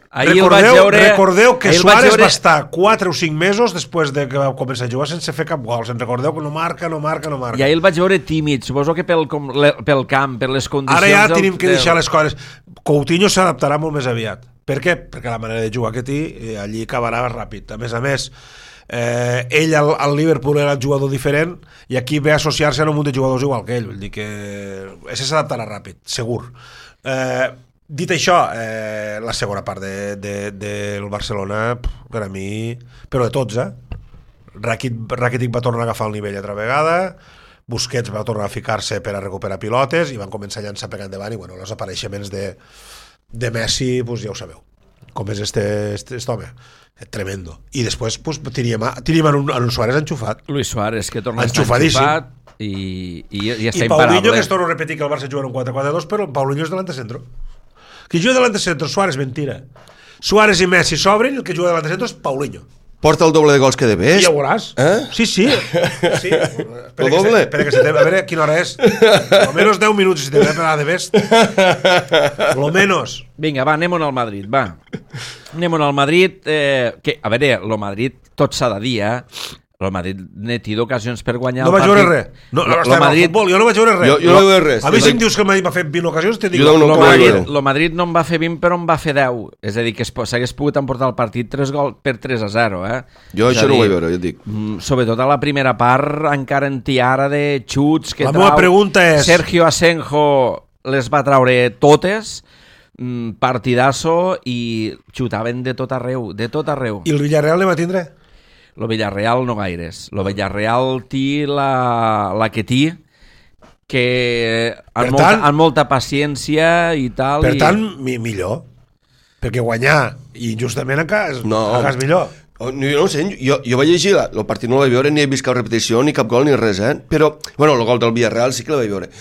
Recordeu, veure, recordeu que Suárez veure... va estar quatre o cinc mesos després de que va començar a jugar sense fer cap gol. Se'n recordeu que no marca, no marca, no marca. I ahir el vaig veure tímid, suposo que pel, com, le, pel camp, per les condicions... Ara ja tenim que deixar les coses. Coutinho s'adaptarà molt més aviat. Per què? Perquè la manera de jugar que té, allí acabarà ràpid. A més a més, eh, ell al, al Liverpool era el jugador diferent i aquí ve a associar-se a un munt de jugadors igual que ell. Vull dir que ese s'adaptarà ràpid, segur. Eh... Dit això, eh, la segona part de, de, del Barcelona, per a mi, però de tots, eh? Rakitic va tornar a agafar el nivell altra vegada, Busquets va tornar a ficar-se per a recuperar pilotes i van començar a llançar per endavant i bueno, els apareixements de, de Messi, pues, ja ho sabeu, com és este, este, este home, tremendo. I després pues, teníem, teníem en, un, en un Suárez enxufat. Luis Suárez, que torna a estar enxufat i, i, i està I imparable. Paulinho, que es torna a repetir que el Barça juga en un quatre quatre dos, però Paulinho és delante centro. Que juga delante centro, Suárez, mentira. Suárez i Messi s'obren i el que juga delante centro és Paulinho. Porta el doble de gols que de Best. I ja ho veuràs. Eh? Sí, sí. sí. El doble? Espera que se te... A veure quina hora és. Almenys deu minuts si te ve per a de Best. Lo menos. Vinga, va, anem-on al Madrid, va. Anem-on al Madrid. Eh, que, a veure, lo Madrid tot s'ha de dir, eh? El Madrid neti d'ocasions per guanyar no el partit. No vaig veure res. No, no, no Madrid... futbol, jo no vaig veure res. Jo, jo no vaig veure res. A mi si em dius que el Madrid va fer vint ocasions, te dic... Jo no, no el, Madrid, el Madrid no en va fer vint, però en va fer deu. És a dir, que s'hagués pogut emportar el partit tres gols per tres a zero, eh? Jo és això dir, no ho vaig veure, jo et dic. Sobretot a la primera part, encara en tiara de xuts que la trau... La meva pregunta és... Sergio Asenjo les va traure totes, partidasso, i xutaven de tot arreu, de tot arreu. I el Villarreal ne va tindre? Lo Villarreal no gaires. Lo Villarreal té la, la que té, que amb molta, amb molta paciència i tal. Per i... tant, mi, millor. Perquè guanyar i justament encara és, no. encara és millor. No, jo no sé, jo, jo vaig llegir el partit, no el vaig veure, ni he vist cap repetició, ni cap gol, ni res, eh? Però, bueno, el gol del Villarreal sí que el vaig veure.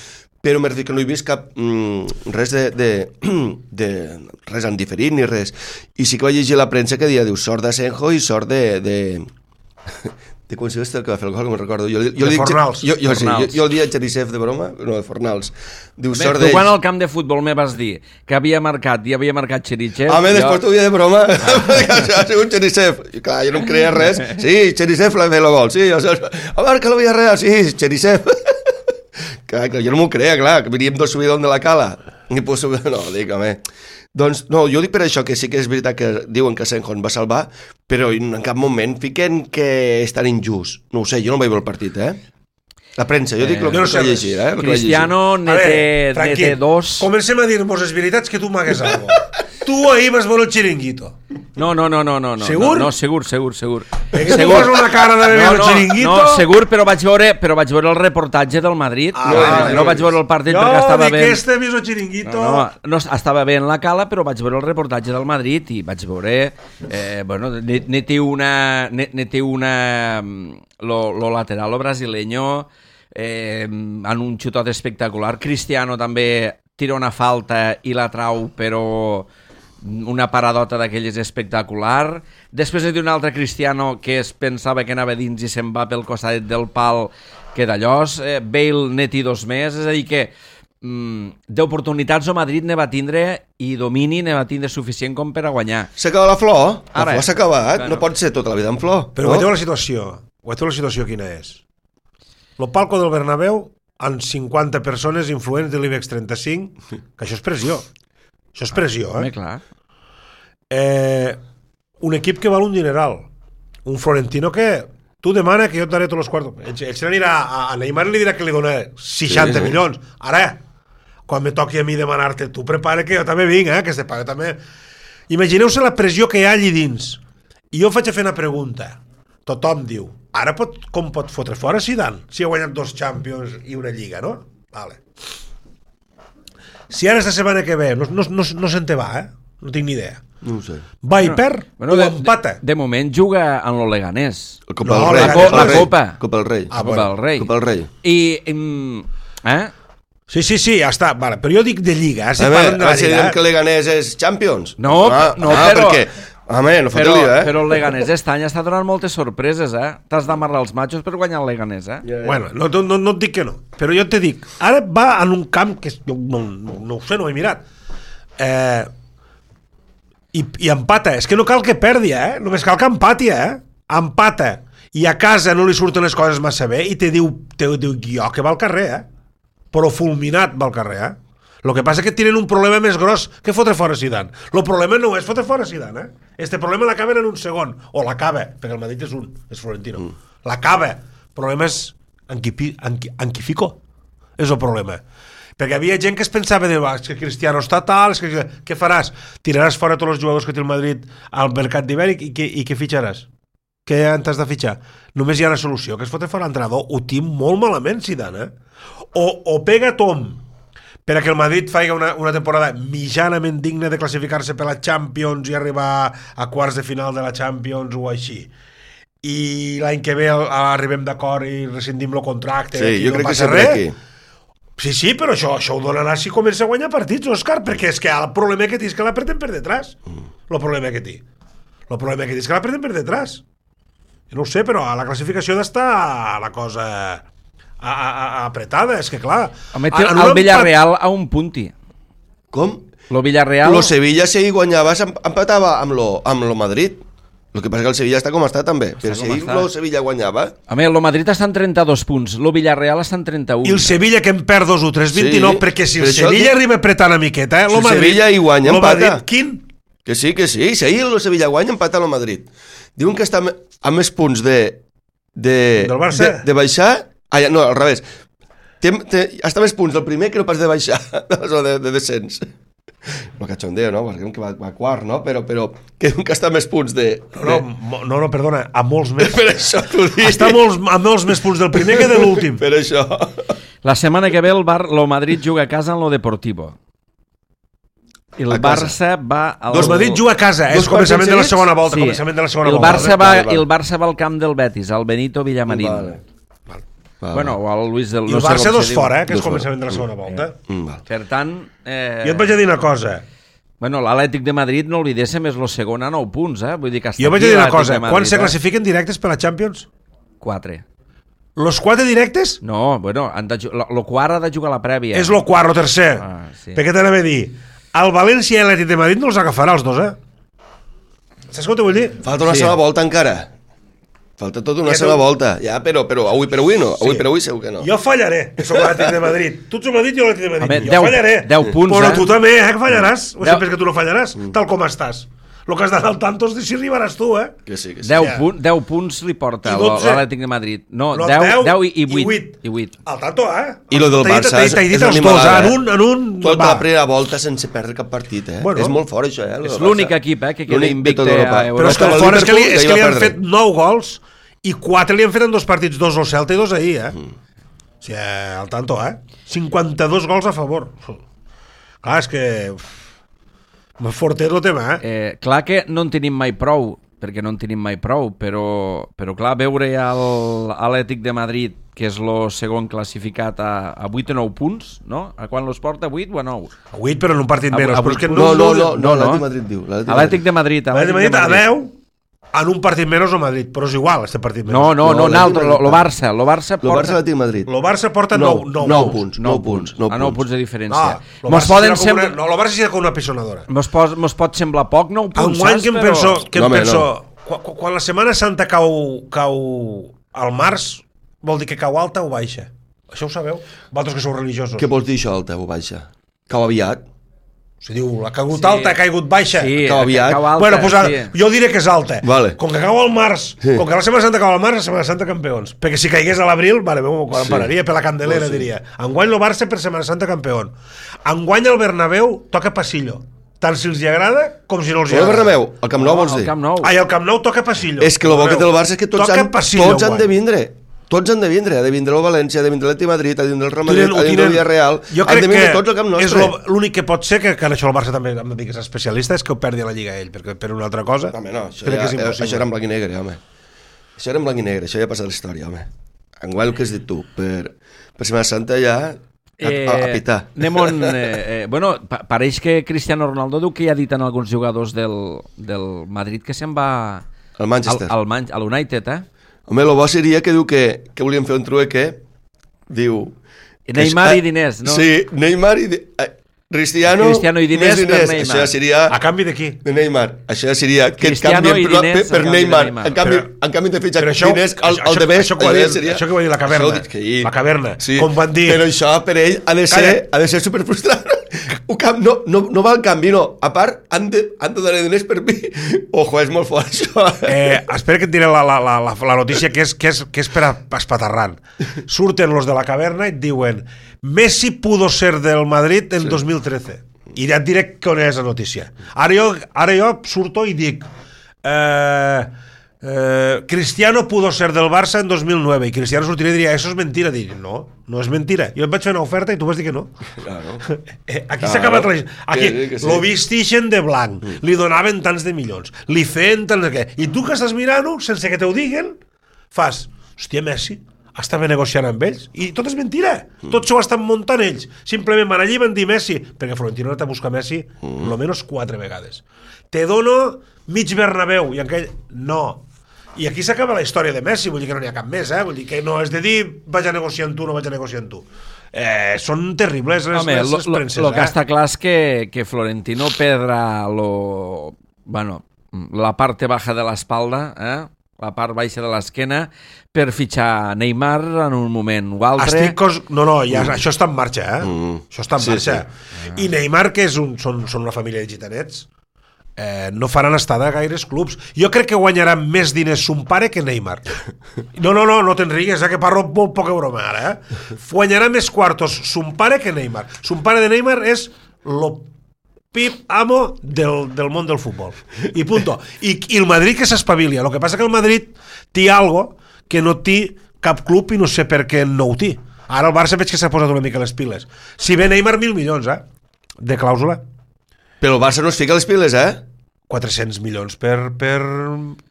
Però m'he dit que no he vist cap mm, res de, de, de res en diferit ni res. I sí que vaig llegir la premsa que dia, diu, sort d'Asenjo i sort de... de de quan se el que va fer el gol, que me'n recordo. Jo, jo de dic, Fornals. Jo, jo, sí, jo, jo el dia de Cherisev de broma, no, de Fornals. Diu, Bé, sort tu quan al camp de futbol me vas dir que havia marcat i havia marcat Cherisev... Ah, jo... després t'ho dia de broma, ha sigut Cherisev. I clar, jo no em creia res. Sí, Cherisev l'ha fet el gol, sí. Jo, oh, marca la Villarreal, sí, Cherisev. Clar, jo no m'ho creia, clar, que veníem del subidon de la cala. I pues, no, dic, home... Doncs, no, jo dic per això que sí que és veritat que diuen que Asenjo va salvar, però en cap moment fiquen que és tan injust. No ho sé, jo no vaig veure el partit, eh? La premsa, jo dic el que no vaig llegir, eh? Cristiano ne té dos... Comencem a dir-nos les veritats que tu m'hagués algo. Tu ahir vas veure el Chiringuito. No, no, no, no, no. Segur? No, no, segur, segur, segur. Que tu fas una cara de veure el Chiringuito? No, segur, però vaig veure, però vaig veure el reportatge del Madrid. Ah, no, no, no vaig veure el partit jo perquè estava bé. Jo dic que este mismo Chiringuito... No, no, no, estava bé en la cala, però vaig veure el reportatge del Madrid i vaig veure... Eh, bueno, ne, ne té una... Ne, ne té una... Lo, lo lateral, lo brasileño, eh, en un xutot espectacular. Cristiano també tira una falta i la trau, però... una paradota d'aquelles espectacular. Després hi ha un altre Cristiano que es pensava que anava dins i se'n va pel costat del pal, que d'allòs. eh, Bale ne té dos més, és a dir que mm, d'oportunitats o Madrid ne va tindre i domini ne va tindre suficient com per a guanyar. S'acaba la flor, la Ara, flor s'ha acabat, claro. No pot ser tota la vida en flor. Però no? veieu la situació, veieu la situació quina és. Lo palco del Bernabéu amb cinquanta persones influents de l'IBEX trenta-cinc, que això és pressió. Això és pressió, eh? Home, clar. Eh, un equip que val un dineral. Un Florentino que tu demana que jo et daré tots els quartos. Ell, ell se n'anirà a, a Neymar li dirà que li dona seixanta sí, sí. milions. Ara, quan me toqui a mi demanar-te, tu prepara que jo també vinc, eh? Que se paga també. Imagineu-se la pressió que hi ha allí dins. I jo faig a fer una pregunta. Tothom diu, ara pot, com pot fotre fora Zidane? Si ha guanyat dos Champions i una Lliga, no? Vale. Si ara esta setmana que ve, no, no, no, no se'n te va, eh? No tinc ni idea. No ho sé. Va i perd bueno, o de, empata? De, de moment juga en el Leganés. El Copa No, del Rei. la, co la Copa. Copa del Rei. Ah, Copa del Rei. Copa del Rei. I... Mm, eh? Sí, sí, sí, ja està. Vale. Però jo dic de Lliga. Eh? Si a veure, parlen de la si diem Lliga, que Leganés és Champions. No, ah, no, ah, però... Perquè, home, no fot Però, lío, eh? però el Leganés aquest any està donant moltes sorpreses, eh? T'has d'amarrar els matxos per guanyar el Leganés, eh? Ja, ja. bueno, no, no, no et dic que no. Però jo te dic, ara va en un camp que jo no, no, no ho sé, no ho he mirat. Eh, i, I empata. És que no cal que perdi, eh? Només cal que empati, eh? Empata. I a casa no li surten les coses massa bé i te diu, te diu jo que va al carrer, eh? Però fulminat va al carrer, eh? Lo que passa és que tenen un problema més gros que fotre fora Zidane. El problema no és fotre fora Zidane, eh? Este problema l'acaben en un segon. O l'acaba, perquè el Madrid és un, és Florentino. Mm. L'acaba. El problema és en qui, en qui, en qui fico. És el problema. Perquè havia gent que es pensava de, és que Cristiano està tal, és que, què faràs? Tiraràs fora tots els jugadors que té el Madrid al mercat d'hivern i, i, i què fitxaràs? Què t'has de fitxar? Només hi ha una solució, que es fotre fora l'entrenador. Ho tinc molt malament, Zidane, eh? O, o pega Tom per a que el Madrid faci una, una temporada mitjanament digna de classificar-se per la Champions i arribar a quarts de final de la Champions o així. I l'any que ve arribem d'acord i rescindim el contracte. Sí, jo no crec que sempre res. aquí. Sí, sí, però això, això ho donarà si comença a guanyar partits, Òscar, perquè és que el problema que té és que l'apreten per detrás. El problema que té. El problema que té és que l'apreten per detrás. Jo no ho sé, però a la classificació d'estar la cosa... A, a, a, apretada, és que clar Home, té el Villarreal a un punti. Com? Lo Villarreal... Lo Sevilla si guanyava empatava amb lo, amb lo Madrid. El que passa que el Sevilla està com està també. Està però si lo Sevilla guanyava... Home, el Madrid està en trenta-dos punts, lo Villarreal està en trenta-un. I el Sevilla que en perd dos o tres, vint-i-nou, sí, perquè si el Sevilla que... arriba apretant una miqueta, eh, si el Madrid, Sevilla hi guanya, empata. Madrid, quin? Que sí, que sí, si ahir el Sevilla guanya, empata el Madrid. Diuen que està a més punts de... de del Barça? De, de baixar... Ah, no, al revés. Té, té, està més punts del primer que no pas de baixar, o de, de descens. No cachondeo, no? Perquè que va, va quart, no? Però, però que nunca està més punts de... No, no, no, no perdona, a molts més. Per això t'ho dic. Està molts, a molts més punts del primer que de l'últim. Per això. La setmana que ve el, Bar, lo Madrid juga a casa en lo Deportivo. I el Barça va... Al... Dos Madrid juga a casa, eh? És començament de la segona volta. Sí. Començament de la segona el volta. Barça va, vale, vale. El Barça va al camp del Betis, al Benito Villamarín. Vale. Vale. Bueno, o al Luis del... I el no Barça sé dos fora, eh? Que dos és començament de la segona volta. Mm, vale. Per tant... Eh... Jo et vaig a dir una cosa. Bueno, l'Atlètic de Madrid, no oblidéssim, és el segon a nou punts, eh? Vull dir que jo vaig a dir una cosa. Quan se classifiquen directes per la Champions? Quatre. Los quatre directes? No, bueno, han de, lo, lo quart ha de jugar la prèvia. És lo quart, lo tercer. Ah, sí. Per què t'anava a dir? El València i l'Atlètic de Madrid no els agafarà els dos, eh? Saps què t'ho vull dir? Falta una sí. Sola volta encara. Falta tota una ja sola tu... volta. Ja, però, però avui per avui no. Avui sí. per avui segur que no. Jo fallaré, que soc l'Atlètic de Madrid. Tu ets el Madrid i jo l'Atlètic de Madrid. Home, jo deu, fallaré. deu punts, però eh? tu també, eh, que fallaràs. O deu... sempre que tu no fallaràs, mm. tal com estàs. El que has d'anar al tanto és de si arribaràs tu, eh? Que sí, que sí. deu, punt, deu punts li porta l'Atlètic de Madrid. No, no deu, deu, deu i, i, i vuit. I vuit. Al tanto, eh? I lo del Barça és, és, és una animalada, en un, en un, tota va. La primera volta sense perdre cap partit, eh? Bueno, és molt fort, això, eh? És l'únic equip, eh, que queda invicte a Europa. Però és que el fort és que li, és que li han fet nou gols i quatre li han fet en dos partits, dos al Celta i dos ahir, eh? Mm. O sigui, al tanto, eh? cinquanta-dos gols a favor. Clar, és que... Forter el tema, eh? eh? Clar que no en tenim mai prou, perquè no en tenim mai prou, però, però clar, veure l'Atlètic de Madrid, que és el segon classificat a, a vuit o nou punts, no? A quan los porta? vuit o a nou? A vuit, però en un partit menys. No, no, no, no, l'Atlètic de Madrid diu. L'Atlètic de Madrid. L'Atlètic de Madrid a deu, en un partit menys o Madrid, però és igual, este partit menys. No, no, no, no altre, lo Barça. Lo Barça porta... Lo Barça l'Atlètic de Madrid. Lo Barça porta nou punts. nou punts. A nou punts de diferència. No, mos poden semblar... No, lo Barça serà com una pisonadora. Mos pot, mos pot semblar poc, nou punts, saps? Que em però... penso, que no, em penso no. quan, quan la Setmana Santa cau, cau al març, vol dir que cau alta o baixa? Això ho sabeu? Vosaltres que sou religiosos. Què vols dir això, alta o baixa? Cau aviat? Si diu, la caigut sí. alta, ha caigut baixa. Sí, cau aviat. Cau alta, bueno, pues, sí. jo diré que és alta. Vale. Com que cau al març, sí. com que la Setmana Santa cau al març, la Setmana Santa campeons. Perquè si caigués a l'abril, vale, quan sí. pararia per la Candelera, oh, sí. diria. Enguany el Barça per Setmana Santa campeón. Enguany el Bernabéu toca passillo. Tant si els hi agrada com si no els hi agrada. El Bernabéu, el Camp Nou vols dir? El Camp Nou. Ai, el Camp Nou toca passillo. És que el bo que té el Barça és que tots, han, passillo, tots han de vindre. Tots han de vindre, ha de vindre el València, ha de vindre l'Atleti Madrid, ha de vindre el Real Madrid, ha de vindre el Villarreal, han de vindre tots al Camp Nostre. És l'únic que pot ser, que, que en això el Barça també hem de dir que és especialista, és que ho perdi a la Lliga ell, perquè per una altra cosa home, no, això, crec ja, que és impossible. Això era en blanc i negre, home. Això era en blanc i negre, això ja ha passat la història, home. Enguany el que has dit tu, per, per Setmana Santa ja a, eh, a, a pitar. Anem on, eh, eh, bueno, pa pareix que Cristiano Ronaldo diu que ja ha dit en alguns jugadors del, del Madrid que se'n va al Manchester, al, al, Man al United, eh? Home, el bo seria que diu que, que volien fer un trueque, diu... Neymar i diners, no? Sí, Neymar i... Di Cristiano, Cristiano i diners, diners per Neymar. Això seria... A canvi de qui? De Neymar. Això seria que et canvien per, per, per Neymar. Neymar. En canvi, però, en canvi de fitxar diners, el, el de més... Això, això, això, seria... això que va dir la caverna. Això, que la caverna. Sí, com van dir... Però això per ell ha de ser, ha de ser superfrustrant. No, no, no va al canvi, no. A part, han de, han de donar diners per mi. Ojo, és molt fort, això. Eh, espera que et diré la, la, la, la notícia que és, que és, que és per a espatarrant. Surten los de la caverna i et diuen Messi pudo ser del Madrid en sí. dos mil trece. I ja et diré on és la notícia. Ara jo, ara jo surto i dic eh, eh, Cristiano pudo ser del Barça en dos mil nueve. I Cristiano sortiria i diria, això és mentira. Dic, no, no és mentira. Jo et vaig fer una oferta i tu vas dir que no. Claro. Aquí s'ha acabat la... Aquí sí, sí. Lo vistixen de blanc, mm. li donaven tants de milions, li feien tants de què. I tu que estàs mirant-ho, sense que te ho diguen, fas, hòstia, Messi estava negociant amb ells, i tot és mentira. Mm. Tot s'ho estan muntant ells. Simplement van allí i van dir Messi, perquè Florentino ha anat a buscar Messi mm. almenys quatre vegades. Te dono mig Bernabéu, i aquell, no. I aquí s'acaba la història de Messi, vull dir que no n'hi ha cap més, eh? Vull dir que no és de dir vaig a negociar amb tu, no vaig a negociar amb tu. Eh, són terribles les, Home, les, les premses. El que eh? està clar és que, que Florentino perdrà lo, bueno, la parte baja de l'espalda, eh? la part baixa de l'esquena, per fitxar Neymar en un moment o altre. Estic cos... No, no, ja, mm. això està en marxa, eh? Mm. Això està en sí, marxa. Sí. I Neymar, que és un, són, són una família de gitanets, eh, no faran estada a gaires clubs. Jo crec que guanyarà més diners son pare que Neymar. No, no, no, no te'n rigues, eh, que parlo molt poca broma ara, eh? Guanyarà més quartos son pare que Neymar. Son pare de Neymar és lo pip amo del, del món del futbol. I punto. I, i el Madrid que s'espavilia. El que passa que el Madrid té algo que no té cap club i no sé per què no ho té. Ara el Barça veig que s'ha posat una mica les piles. Si ve Neymar, mil milions, eh? De clàusula. Però el Barça no es fica les piles, eh? quatre-cents milions per, per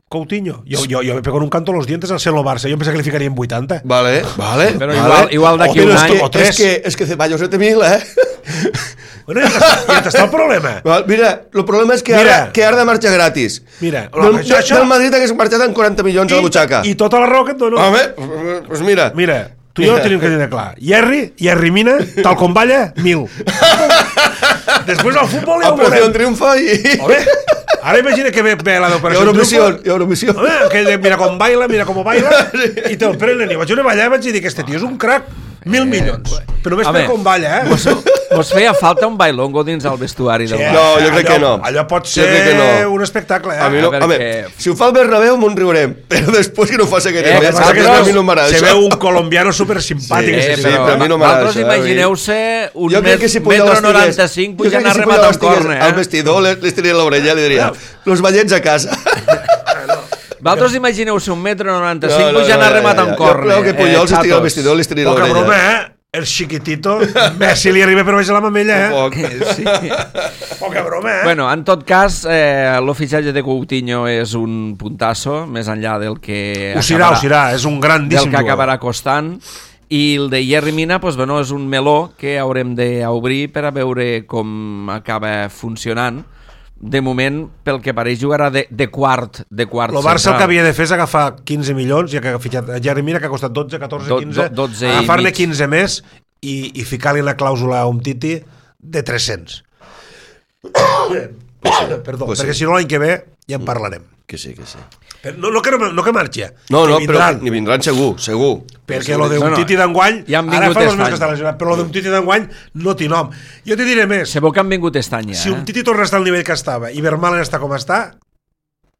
Coutinho. Jo, jo, jo me pego en un canto los dientes al ser el Barça. Jo em pensava que li ficarien vuitanta. Vale, vale. Però vale. igual, igual d'aquí un any... O tres. És que, és que Ceballos no té mil, eh? Bueno, ja t'està, ja t'està el problema. Val, mira, el problema és que mira, ara, que ara de marxa gratis. Mira, del, això, això... del Madrid hagués marxat amb quaranta milions I, a la butxaca. I tota la raó que et dono. Home, doncs mira. Mira, tu i jo tenim que tenir clar. Jerry, Jerry Mina, tal com balla, mil. Després al futbol ja ho veurem. Operació Triunfo i... Home, ara imagina que ve, ve la d'Operació Triunfo. Eurovisió. Home, aquell de mira com baila, mira com baila, i te'l prenen. I vaig a ballar i vaig dir que este tio és un crac. Mil eh, milions. Però només per com balla, eh? Mos, mos feia falta un bailongo dins el vestuari del sí, No, jo crec allò, que no. Allò pot ser no. un espectacle, eh? A mi no, a home, si ho fa el Bernabéu m'ho riurem, però després que no ho faci aquest eh, no, que no, a mi no m'agrada. Se veu un colombiano super simpàtic. Sí, sí, però, però a mi no m'agrada. Vosaltres imagineu-se un metro noranta-cinc pujant a rematar un córner. Al vestidor li estiria l'orella i li diria los ballets a casa. Vosaltres imagineu-se un metro noranta-cinc pujant a rematar un córner. Jo crec que Puyol s'estiria al vestidor li estiria l'orella. Poca broma, eh? El xiquitito, Messi li arriba per baix la mamella, eh? Sí. Poca broma, eh? Bueno, en tot cas, eh, l'oficiatge de Coutinho és un puntasso, més enllà del que... Ho serà, ho serà, és un grandíssim del que acabarà costant. I el de Jerry Mina, pues, bueno, és un meló que haurem d'obrir per a veure com acaba funcionant. De moment, pel que pareix, jugarà de, de quart de quart el Barça central. El que havia de fer és agafar quinze milions, ja que ha fitxat Jerry Mina, que ha costat dotze, catorze, quinze, do, dotze agafar-ne quinze més i, i ficar-li la clàusula a un Titi de tres-cents. Perdó, pues perquè sí. si no l'any que ve ja en parlarem. Que sí, que sí. Però no, no, que no, no que marxi. No, no, que però ni vindran segur, segur. Perquè lo d'un Titi d'enguany, ja ara fa dos mesos que està lesionat, però lo d'un Titi d'enguany no té nom. Jo te diré més. Se veu que han vingut este any, eh? Si un Titi torna a estar al nivell que estava i Vermaelen està com està,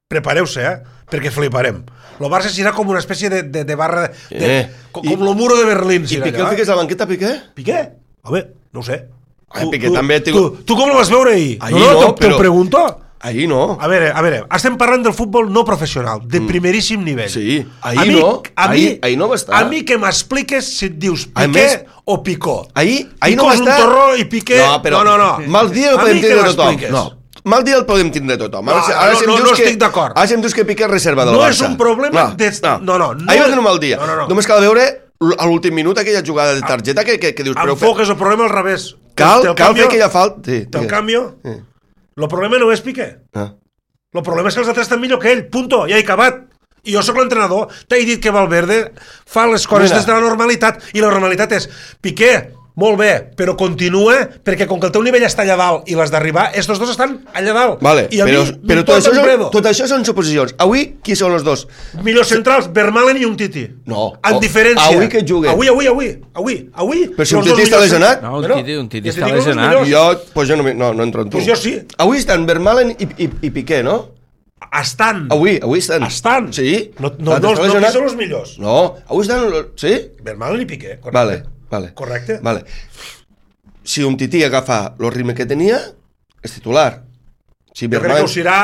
prepareu-se, eh? Perquè fliparem. Lo Barça serà com una espècie de, de, de barra... De, de, Eh, com I, lo muro de Berlín. I Piqué el fiques a la banqueta, Piqué? Piqué? Home, no ho sé. Ai, Piqué també... Tu, tu, tu com lo vas veure ahir? Ahir no, no, no, te, però... te ho pregunto. Ahir no. A veure, a veure, estem parlant del futbol no professional, de primeríssim nivell. Sí, ahir a mi, no. A mi, ahir, ahir no va estar. A mi que m'expliques si et dius Piqué més, o Picó. Ahir, ahir Picó no va és estar... un torró i Piqué... No, però... No, no, no. Mal dia el podem tindre de tothom. No, mal dia el podem tindre de tothom. No, ara, no, si em no, dius no que, estic d'acord. Ara si em dius que Piqué és reserva del no Barça. No és un problema... No, de... no. no, no, no. Ahir va tenir un mal dia. No, no, no. Només cal veure a l'últim minut aquella jugada de targeta que, que, que dius... Enfoques el problema al revés. Cal, cal fer aquella falta... Sí, Te'l canvio. Sí. El problema no és Piqué. Ah. El problema és que els altres estan millor que ell, punto, ja he acabat. I jo sóc l'entrenador, t'he dit que Valverde fa les coses Mira. des de la normalitat, i la normalitat és, Piqué, molt bé, però continua, perquè com que el teu nivell està allà dalt i l'has d'arribar, estos dos estan allà dalt. Vale, I a però, mi però tot, això són, tot això són suposicions. Avui, qui són els dos? Millors centrals, Vermaelen i un Titi. No. En diferència. Avui que juguen. Avui, avui, avui. Avui, avui. Però si un Titi està lesionat? No, un Titi, un titi està lesionat. Jo, pues jo no, no, no entro en tu. Pues jo sí. Avui estan Vermaelen i, i, i Piqué, no? Estan. Avui, avui estan. Estan. Sí. No, no, no, no, no són els millors. No, avui estan... Sí? Vermaelen i Piqué, correcte. Vale, vale. Correcte. Vale. Si un Titi agafa el ritme que tenia, és titular. Si jo Vermaelen... crec que ho serà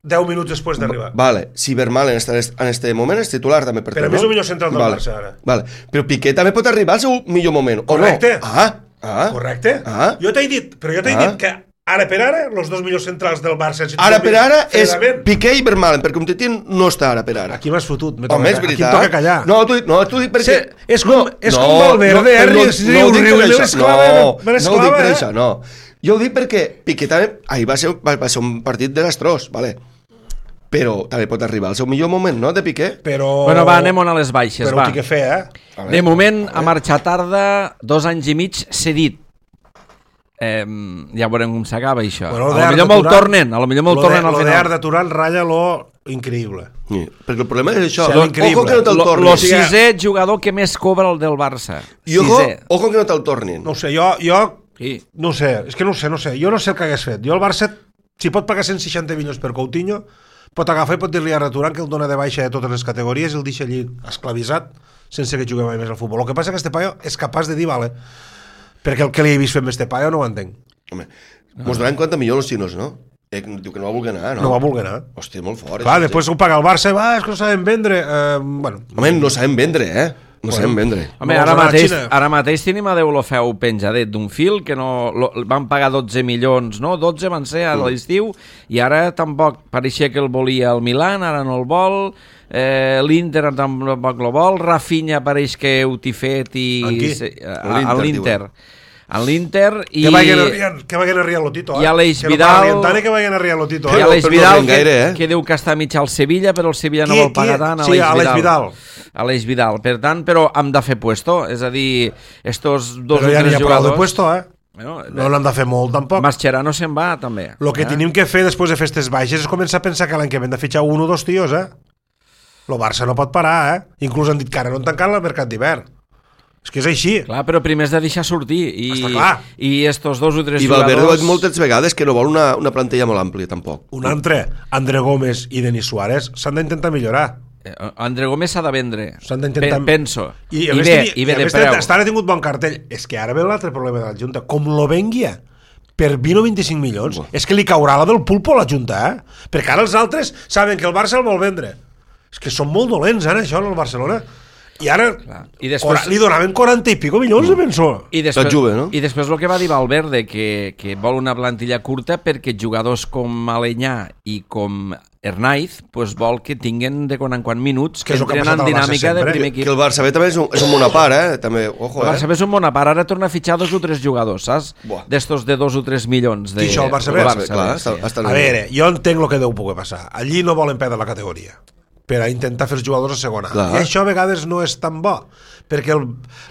deu minuts després d'arribar. Vale. Si Vermaelen està en este moment, és titular també. Per Però a més no? El millor central del vale. Barça ara. Vale. Però Piqué també pot arribar al seu millor moment, correcte. o no? Ah, ah. Correcte. Ah. Jo t'he dit, però jo t'he ah. dit que ara per ara, els dos millors centrals del Barça... Si ara per ara és Piqué i Vermaelen, perquè un Titi no està ara per ara. Aquí m'has fotut. Home, és veritat. Aquí em toca callar. No, tu, no, tu dic perquè... Sí, és com, no, és com Valverde, eh? No, no, no, no, riu, riu, l'esclava, no, me l'esclava, no ho dic per eh? això, no. Jo ho dic perquè Piqué també... Ahir va ser, va, va ser un partit desastrós, vale? Però també pot arribar al seu millor moment, no?, de Piqué. Però... Bueno, va, anem a les baixes, però va. Però ho tinc que fer, eh? De moment, a marxar tarda, dos anys i mig cedit. Eh, ja veurem com s'acaba això. Bueno, a lo millor me'l tornen, a lo millor me'l tornen al final. Lo de Arda Turan ratlla lo increïble. Sí, perquè el problema és això. Lo, ojo que no te'l tornin. Lo sisè jugador que més cobra el del Barça. I ojo, ojo que no te'l tornin. No sé, jo... jo sí. No sé, és que no sé, no sé. Jo no sé el que hagués fet. Jo el Barça, si pot pagar cent seixanta milions per Coutinho, pot agafar i pot dir-li a Arda Turan que el dona de baixa de totes les categories i el deixa allí esclavitzat sense que jugui mai més al futbol. El que passa és que este paio és capaç de dir, vale, perquè el que li he vist fer amb este paio no ho entenc. Home, no. Mos donaran quaranta milions els xinos, no? Eh, diu que no va voler anar, no? No va voler anar. Hòstia, molt fort. Clar, després ho paga el Barça i va, és que no sabem vendre. Eh, bueno. Home, no sabem vendre, eh? No bueno. sabem vendre. Home, no ara mateix, ara mateix tenim a Deulofeu penjadet d'un fil que no, lo, van pagar dotze milions, no? dotze van ser a l'estiu i ara tampoc pareixia que el volia el Milan, ara no el vol. Eh, l'Inter tampoc el vol. Rafinha pareix que heu tifet i... Se, a, a l'Inter. A l'Inter i... Que vagin a Rian, que vagin a Rian Lotito, eh? I Aleix que Vidal... No que vagin a Rian Lotito, eh? I Aleix no, Vidal, no gaire, eh? que, que diu que està mig al Sevilla, però el Sevilla qui, no vol pagar tant. Sí, Aleix Vidal. Aleix Vidal. Per tant, però hem de fer puesto, és a dir, estos dos però o ja tres jugadors... Però ja n'hi ha de puesto, eh? Bueno, no n'hem de fer molt, tampoc. Mascherano se'n va, també. El que eh? tenim que fer després de festes baixes és començar a pensar que l'any que ve hem de fitxar un o dos tios, eh? El Barça no pot parar, eh? Inclús han dit que ara no han tancat el mercat d'hivern. És que és així. Clar, però primer has de deixar sortir. I, està clar. I estos dos o tres I jugadors... I Valverde ha dit moltes vegades que no vol una, una plantilla molt àmplia, tampoc. Un altre, André Gómez i Denis Suárez, s'han d'intentar millorar. Eh, André Gómez s'ha de vendre. S'han d'intentar... Pe penso. I, I, I bé, i bé de preu. Fins ara ha tingut bon cartell. És que ara ve l'altre problema de la Junta. Com lo venguia per vint o vint-i-cinc milions, oh. és que li caurà la del pulpo a la Junta, eh? Perquè ara els altres saben que el Barça el vol vendre. És que són molt dolents, ara, això, en el Barcelona. I ara I després... li donaven quaranta i pico milions, mm. penso. I després, juve, no? I després el que va dir Valverde, que, que vol una plantilla curta perquè jugadors com Alenyà i com Hernaiz pues, vol que tinguen de quan en quan minuts que, que entren en dinàmica de primer equip. Que el Barça B també és un, és un món a part, eh? També, ojo, el Barça B eh? és un món a part, ara torna a fitxar dos o tres jugadors, saps? D'estos de dos o tres milions. De... I això el Barça B? Barça, clar, sí. està, està a veure, jo entenc el que deu poder passar. Allí no volen perdre la categoria per a intentar fer els jugadors a segona. Clar. I això a vegades no és tan bo, perquè el,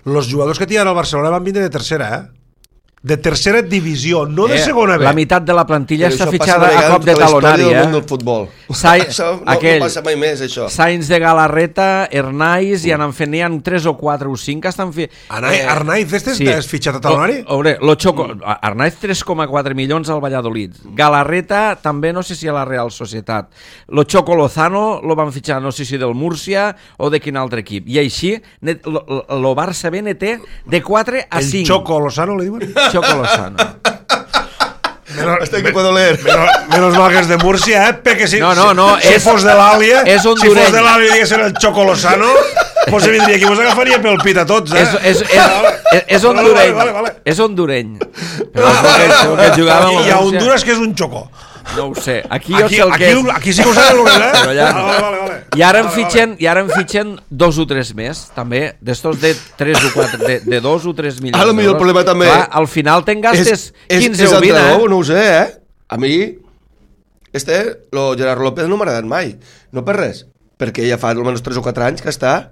els jugadors que tenen al Barcelona van vindre de tercera, eh? de tercera divisió, no de eh, segona B. La meitat de la plantilla Però està això fitxada passa a cop de tota la talonari. història del Eh? món del futbol. Sai, Això no, aquell, no passa mai més, això. Sainz de Galarreta, Ernaiz, i han fet, n'hi ha tres o quatre o cinc que estan fi... Anai, eh, Arnaiz, este sí. és fitxat a talonari? O, veure, lo Choco, Arnaiz tres coma quatre milions al Valladolid. Galarreta també no sé si a la Real Societat. Lo Choco Lozano lo van fitxar no sé si del Múrcia o de quin altre equip. I així net, lo, lo Barça B ne té de quatre a cinc. El Choco Lozano, li diuen? Choco Lozano. Menos, Este que puedo leer. Menos, menos mal que és de Múrcia, eh? Perquè si, No, no, no, si, si és- fos de l'Àlia, és si hondureny. fos de l'Àlia i diguessin el Choco Lozano, pues se vindria aquí, vos agafaria pel pit a tots, eh? És, és, és, és hondureny. Vale, vale, vale. És hondureny. Però és el que, el que jugava amb I el a Múrcia. Honduras que és un Choco. No ho sé. Aquí jo Aquí, sé el aquí, que és. aquí sí que ho saben, eh? Però allà no. Vale, vale, vale. I ara en Vale, fitxen, i ara en fitxen dos o tres més, també, d'estos de tres o quatre, de, de dos o tres milions. A lo millor el d'euros. problema també- Clar, al final te'n gastes quinze és o vint, entrenador, eh? no ho sé, eh? A mi, este, lo Gerard López no m'ha agradat mai. No per res, perquè ja fa almenys tres o quatre anys que està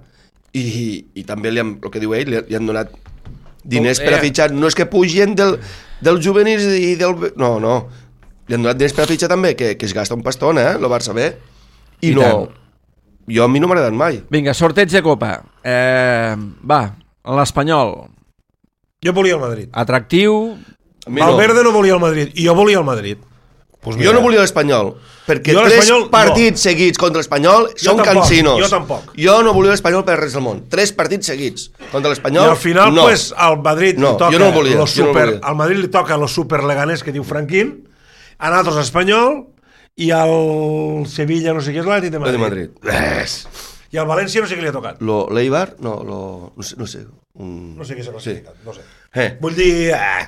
i, i també li han, el que diu ell, li, li han donat diners Oh, per a eh. fitxar. No és que pugien del, del juvenils i del... No, no. Li han donat diners per a fitxar també, que, que es gasta un pastón, eh? Lo Barça B. I, I no... tant. Jo a mi no m'ha agradat mai. Vinga, sorteig de Copa. Eh, va, l'Espanyol. Jo volia el Madrid. Atractiu. A mi no. Valverde no volia el Madrid, i jo volia el Madrid. Pues Jo no volia l'Espanyol, perquè Jo tres l'Espanyol, partits no. seguits contra l'Espanyol són tampoc, cansinos. jo tampoc. Jo no volia l'Espanyol per res del món. Tres partits seguits contra I l'Espanyol, al final, no. pues, al Madrid No, li toca jo no volia, lo jo no super, volia. al Madrid li toca lo super leganés que diu Franquín, a nosaltres Espanyol, i al Sevilla no sé què és l'Atlètic de Lo Madrid. de Madrid. Yes. I al València no sé què li ha tocat. Lo l'Eibar, no, lo, no sé, no sé. Un... No sé què s'ha classificat, no sé. Eh. Vull dir, eh,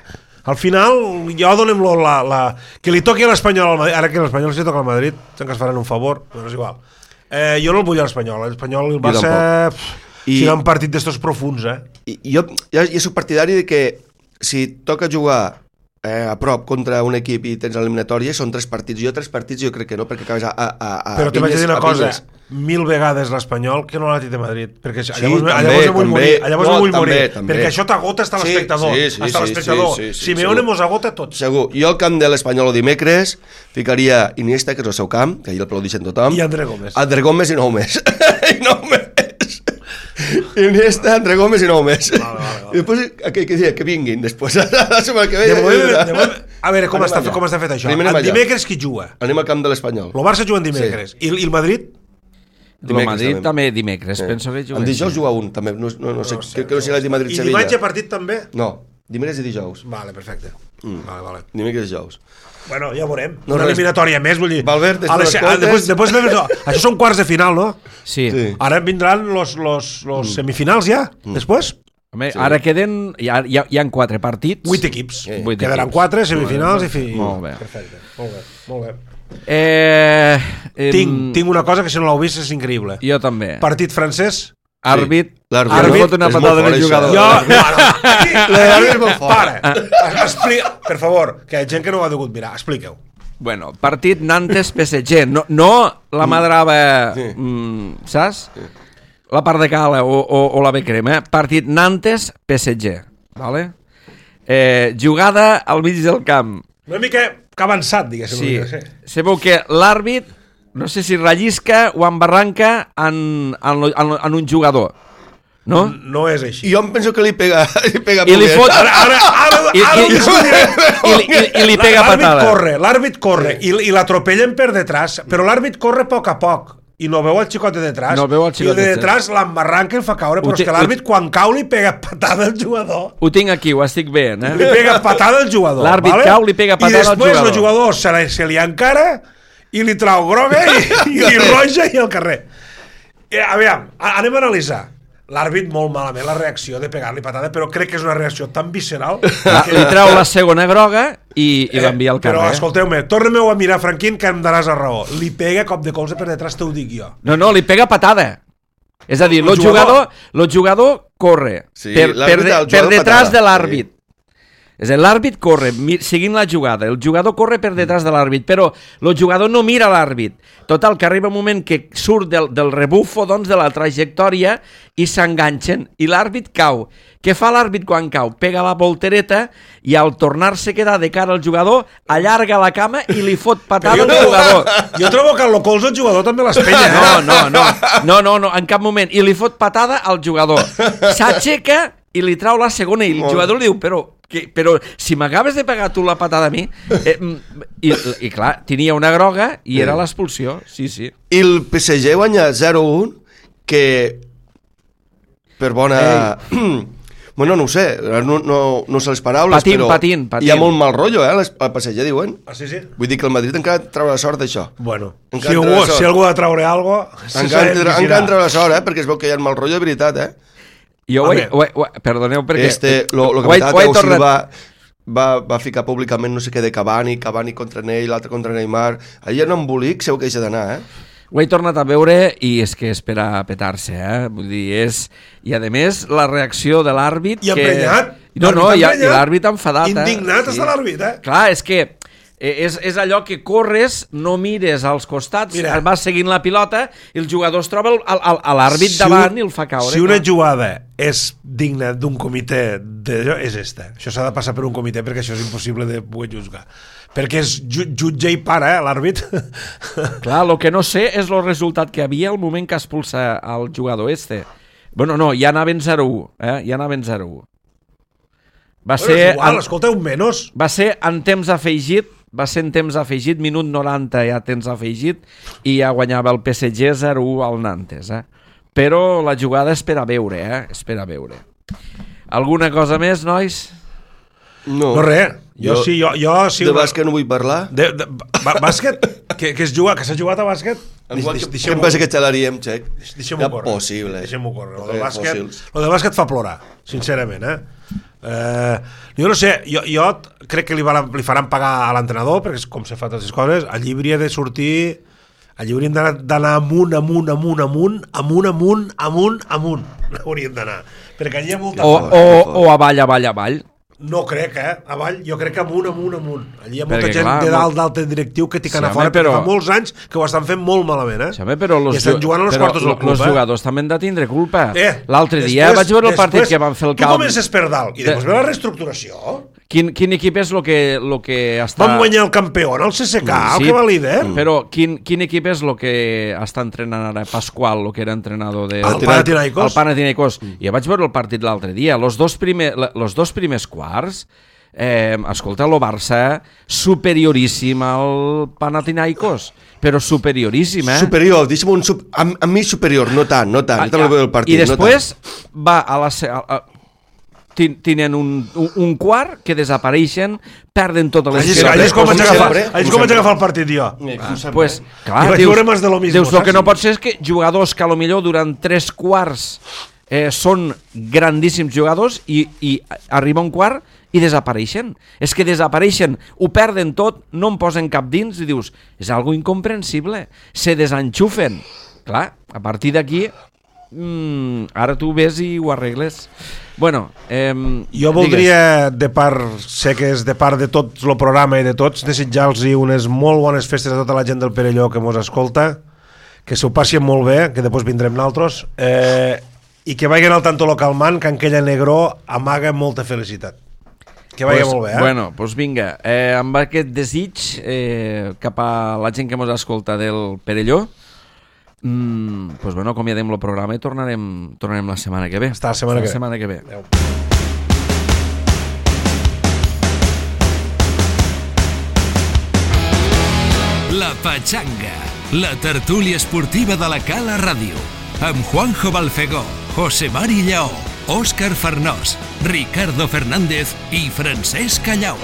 al final, jo donem lo, la, la... Que li toqui a l'Espanyol al Madrid, ara que l'Espanyol si toca al Madrid, que ens faran un favor, però és igual. Eh, jo no el vull a l'Espanyol, l'Espanyol va Jo ser... tampoc. I... I- Si un partit d'estos profuns, eh? I, jo ja, ja soc partidari de que si toca jugar eh, a prop contra un equip i tens l'eliminatòria, són tres partits. Jo tres partits jo crec que no, perquè acabes a, a, a Però te vaig pinyes, dir una a cosa, pinyes. mil vegades l'Espanyol que no l'Atlètic de Madrid, perquè Sí, llavors, també, llavors em vull també. morir, llavors No, em vull també, morir, també. perquè això t'agota hasta Sí, l'espectador, sí, sí, hasta sí, l'espectador. sí, sí, sí, Simeone segur. mos agota a tots. Segur. Jo al camp de l'Espanyol el dimecres ficaria Iniesta, que és el seu camp, que ahir el aplaudixen tothom. I André Gómez. André Gómez i nou més. I nou més. Iniesta, André Gómez i nou més. Vale, vale, vale. I després, que, que, que, que vinguin després, la setmana que ve. De moment, de moment, a veure com Anem està, allà. com està fet això. Primer El anem allà. dimecres qui juga? Anem al camp de l'Espanyol. El Barça juga en dimecres. I, I el Madrid? El Madrid també dimecres, penso que juga. El dijous juga un, també. No, no, no sé, No sé, crec que no sé la de I Madrid-Sevilla. dimarts hi ha partit també? No, dimecres i dijous. Vale, perfecte. Mm. Vale, vale. Dimecres i dijous. Bueno, ja veurem. No, Una res. eliminatòria més, vull dir. Valverde, A les- si ah, no després, escoltes- després, no, això són quarts de final, no? Sí. Sí. Ara vindran los, los, los semifinals ja, després? Home, ara queden... Hi ha, hi, ha, hi ha quatre partits. Vuit equips. Sí. Vuit Quedaran equips. quatre, semifinals i fi... Molt bé. Perfecte. Molt bé, molt bé. Eh, em, Tinc, tinc una cosa que si no l'heu vist és increïble. Jo també. Partit francès. Àrbit. L'àrbit. Ara Àrbit fot una és molt patada fort, en el això. jugador. Jo, no, no. Aquí, L'àrbit és molt fort. Para. Explica, per favor, que hi ha gent que no ho ha degut mirar. Expliqueu. Bueno, partit Nantes-P S G. No, no la madrava, Sí. mm, saps? La part de cala o, o, o la becrema. Partit Nantes-P S G. Vale? Eh, jugada al mig del camp. Una mica que avançat, diguéssim. Sí. una mica, sí. Sabeu que l'àrbit, no sé si rellisca o embarranca en, en, en, en un jugador. No? No és així. I jo em penso que li pega, li pega I li molt bé. fot... Ara, ara, ara, I, ara i, ho discutiré. i, i, i, i li pega L'àrbit patada. corre, l'àrbit corre i, i l'atropellen per detrás, però l'àrbit corre a poc a poc i no veu el xicot de detrás. No veu el xicot I el de de detrás l'embarranca i el fa caure, però Ho té- és que l'àrbit quan cau li pega patada al jugador. Ho tinc aquí, ho estic veient, Li eh? pega patada al jugador. L'àrbit vale? cau, li pega patada al I després jugador. el jugador se, li, se li encara i li trau groga i, i, i roja i al carrer. I, a veure, anem a analitzar. L'àrbit molt malament la reacció de pegar-li patada, però crec que és una reacció tan visceral La, que... li treu la segona groga i, i l'envia al carrer. Però escolteu-me, tornem-ho a mirar, Franquín, que em daràs a raó. Li pega cop de colze per detrás, te ho dic jo. No, no, li pega patada. És a dir, El el jugador- jugador, el jugador corre Sí, per, per, l'àrbit de, al per jugador detrás patada, de l'àrbit. És a dir, l'àrbit corre seguint la jugada, el jugador corre per detrás de l'àrbit, però el jugador no mira l'àrbit. Total, que arriba un moment que surt del, del rebufo, doncs, de la trajectòria i s'enganxen, i l'àrbit cau. Què fa l'àrbit quan cau? Pega la voltereta i al tornar-se a quedar de cara al jugador, allarga la cama i li fot patada al jugador. Jo trobo que el colze el jugador també l'espenya. No, no, no, no, no, no, en cap moment. I li fot patada al jugador. S'aixeca i li trau la segona i el jugador li diu, però... Que, però si m'acabes de pegar tu la patada a mi eh, i, i clar, tenia una groga i era l'expulsió, sí, sí. I el P S G guanya zero a un que per bona bueno, no ho sé, no, no, no sé les paraules, patín, però patín, patín. Hi ha molt mal rotllo, eh, les, el P S G diuen. Ah, sí, sí? Vull dir que el Madrid encara trau la sort d'això. Bueno, si algú, si algú ha de traure alguna cosa... Encara trau la sort, eh, perquè es veu que hi ha mal rotllo de veritat, eh. Jo ho he, ho he, ho he, perdoneu perquè... Este, lo, lo que m'estava Thiago Silva va, va ficar públicament no sé què de Cavani, Cavani contra Ney, l'altre contra Neymar. Allà en embolic segur que hi ha d'anar, eh? Ho he tornat a veure i és que és per a petar-se, eh? Vull dir, és... I a més, la reacció de l'àrbit... I emprenyat. Que... No, no, i, i l'àrbit enfadat, eh? Indignat està l'àrbit, eh? Clar, és que... És, és allò que corres, no mires als costats, Mira, vas seguint la pilota i el jugador es troba al, al, a l'àrbit si davant un, i el fa caure. Si una jugada és digna d'un comitè d'allò, és esta. Això s'ha de passar per un comitè perquè això és impossible de poder juzgar. Perquè és jutge i para, eh, l'àrbit. Clar, el que no sé és el resultat que havia al moment que expulsa el jugador este. Bueno, no, ja anaven zero a u, eh? Ja anaven zero a u. Va bueno, ser... Igual, en, escolta, un menys. Va ser en temps afegit, va ser en temps afegit, minut noranta ja temps afegit, i ja guanyava el P S G zero a u al Nantes, eh? Però la jugada és per a veure, eh? És per a veure. Alguna cosa més, nois? No. No res. Jo, jo sí, jo... jo sí, de bàsquet no vull parlar. De, de, bàsquet? que, que es juga, que s'ha jugat a bàsquet? Què em passa que xalaríem, Xec? Deixem-ho córrer. Possible. Deixem-ho córrer. Lo de bàsquet, lo de bàsquet fa plorar, sincerament, eh? Eh, jo no sé, jo, jo crec que li, va, li faran pagar a l'entrenador perquè com se fa totes les coses, allí hauria de sortir, allí hauríem d'anar amunt, amunt, amunt, amunt, amunt, amunt, amunt, amunt hauríem d'anar, perquè allí hi ha molta o, o, o avall, avall, avall. No crec, eh? Avall, jo crec que amunt, amunt, amunt. Allí hi ha molta perquè, gent clar, de dalt d'altre directiu que tiquen sí, a fora, però fa molts anys que ho estan fent molt malament, eh? Sí, home, però los, I estan jugant a los quartos del club, els eh? jugadors també han de tindre culpa. Eh, L'altre dia vaig veure el després, partit que van fer el camp. Tu comences per dalt i després ve la reestructuració. Quin, quin equip és el que, lo que està... Vam guanyar el campió, el C S K, sí, el que va líder. Però quin, quin equip és el que està entrenant ara Pasqual, el que era entrenador de... El Panathinaikos. El Panathinaikos. Mm. Jo vaig veure el partit l'altre dia. Los dos, primer, los dos primers quarts... Eh, escolta, el Barça superioríssim al Panathinaikos, però superioríssim, eh? Superior, deixa'm un... Sub... A, a mi superior, no tant, no tant. Ah, ja. Partit, I després no va a la... A, a, tenen un, un, un quart que desapareixen, perden totes les... Allà és com vaig agafar, agafar el partit jo. Ah, pues, clar, dius, dius el que no pot ser és que jugadors que a lo millor durant tres quarts eh, són grandíssims jugadors i, i arriba un quart i desapareixen. És que desapareixen, ho perden tot, no en posen cap dins i dius, és algo incomprensible. Se desenxufen. Clar, a partir d'aquí mm, ara tu ves i ho arregles. Bueno, eh, jo voldria, de part, sé que és de part de tot el programa i de tots, desitjar-los unes molt bones festes a tota la gent del Perelló que mos escolta, que s'ho passin molt bé, que després vindrem naltros, eh, i que vagin al tanto localment, que en aquella negró amaga molta felicitat. Que vagi pues, molt bé, eh? Bueno, doncs pues vinga, eh, amb aquest desig eh, cap a la gent que mos escolta del Perelló, mm, pues bueno, acomiadem el programa i tornarem, tornarem la setmana que ve. Està la setmana, la que, setmana que ve. Adeu. La Patxanga, la tertúlia esportiva de la Cala Ràdio, amb Juanjo Balfegó, José Mari Lleó, Òscar Farnós, Ricardo Fernández i Francesc Callau.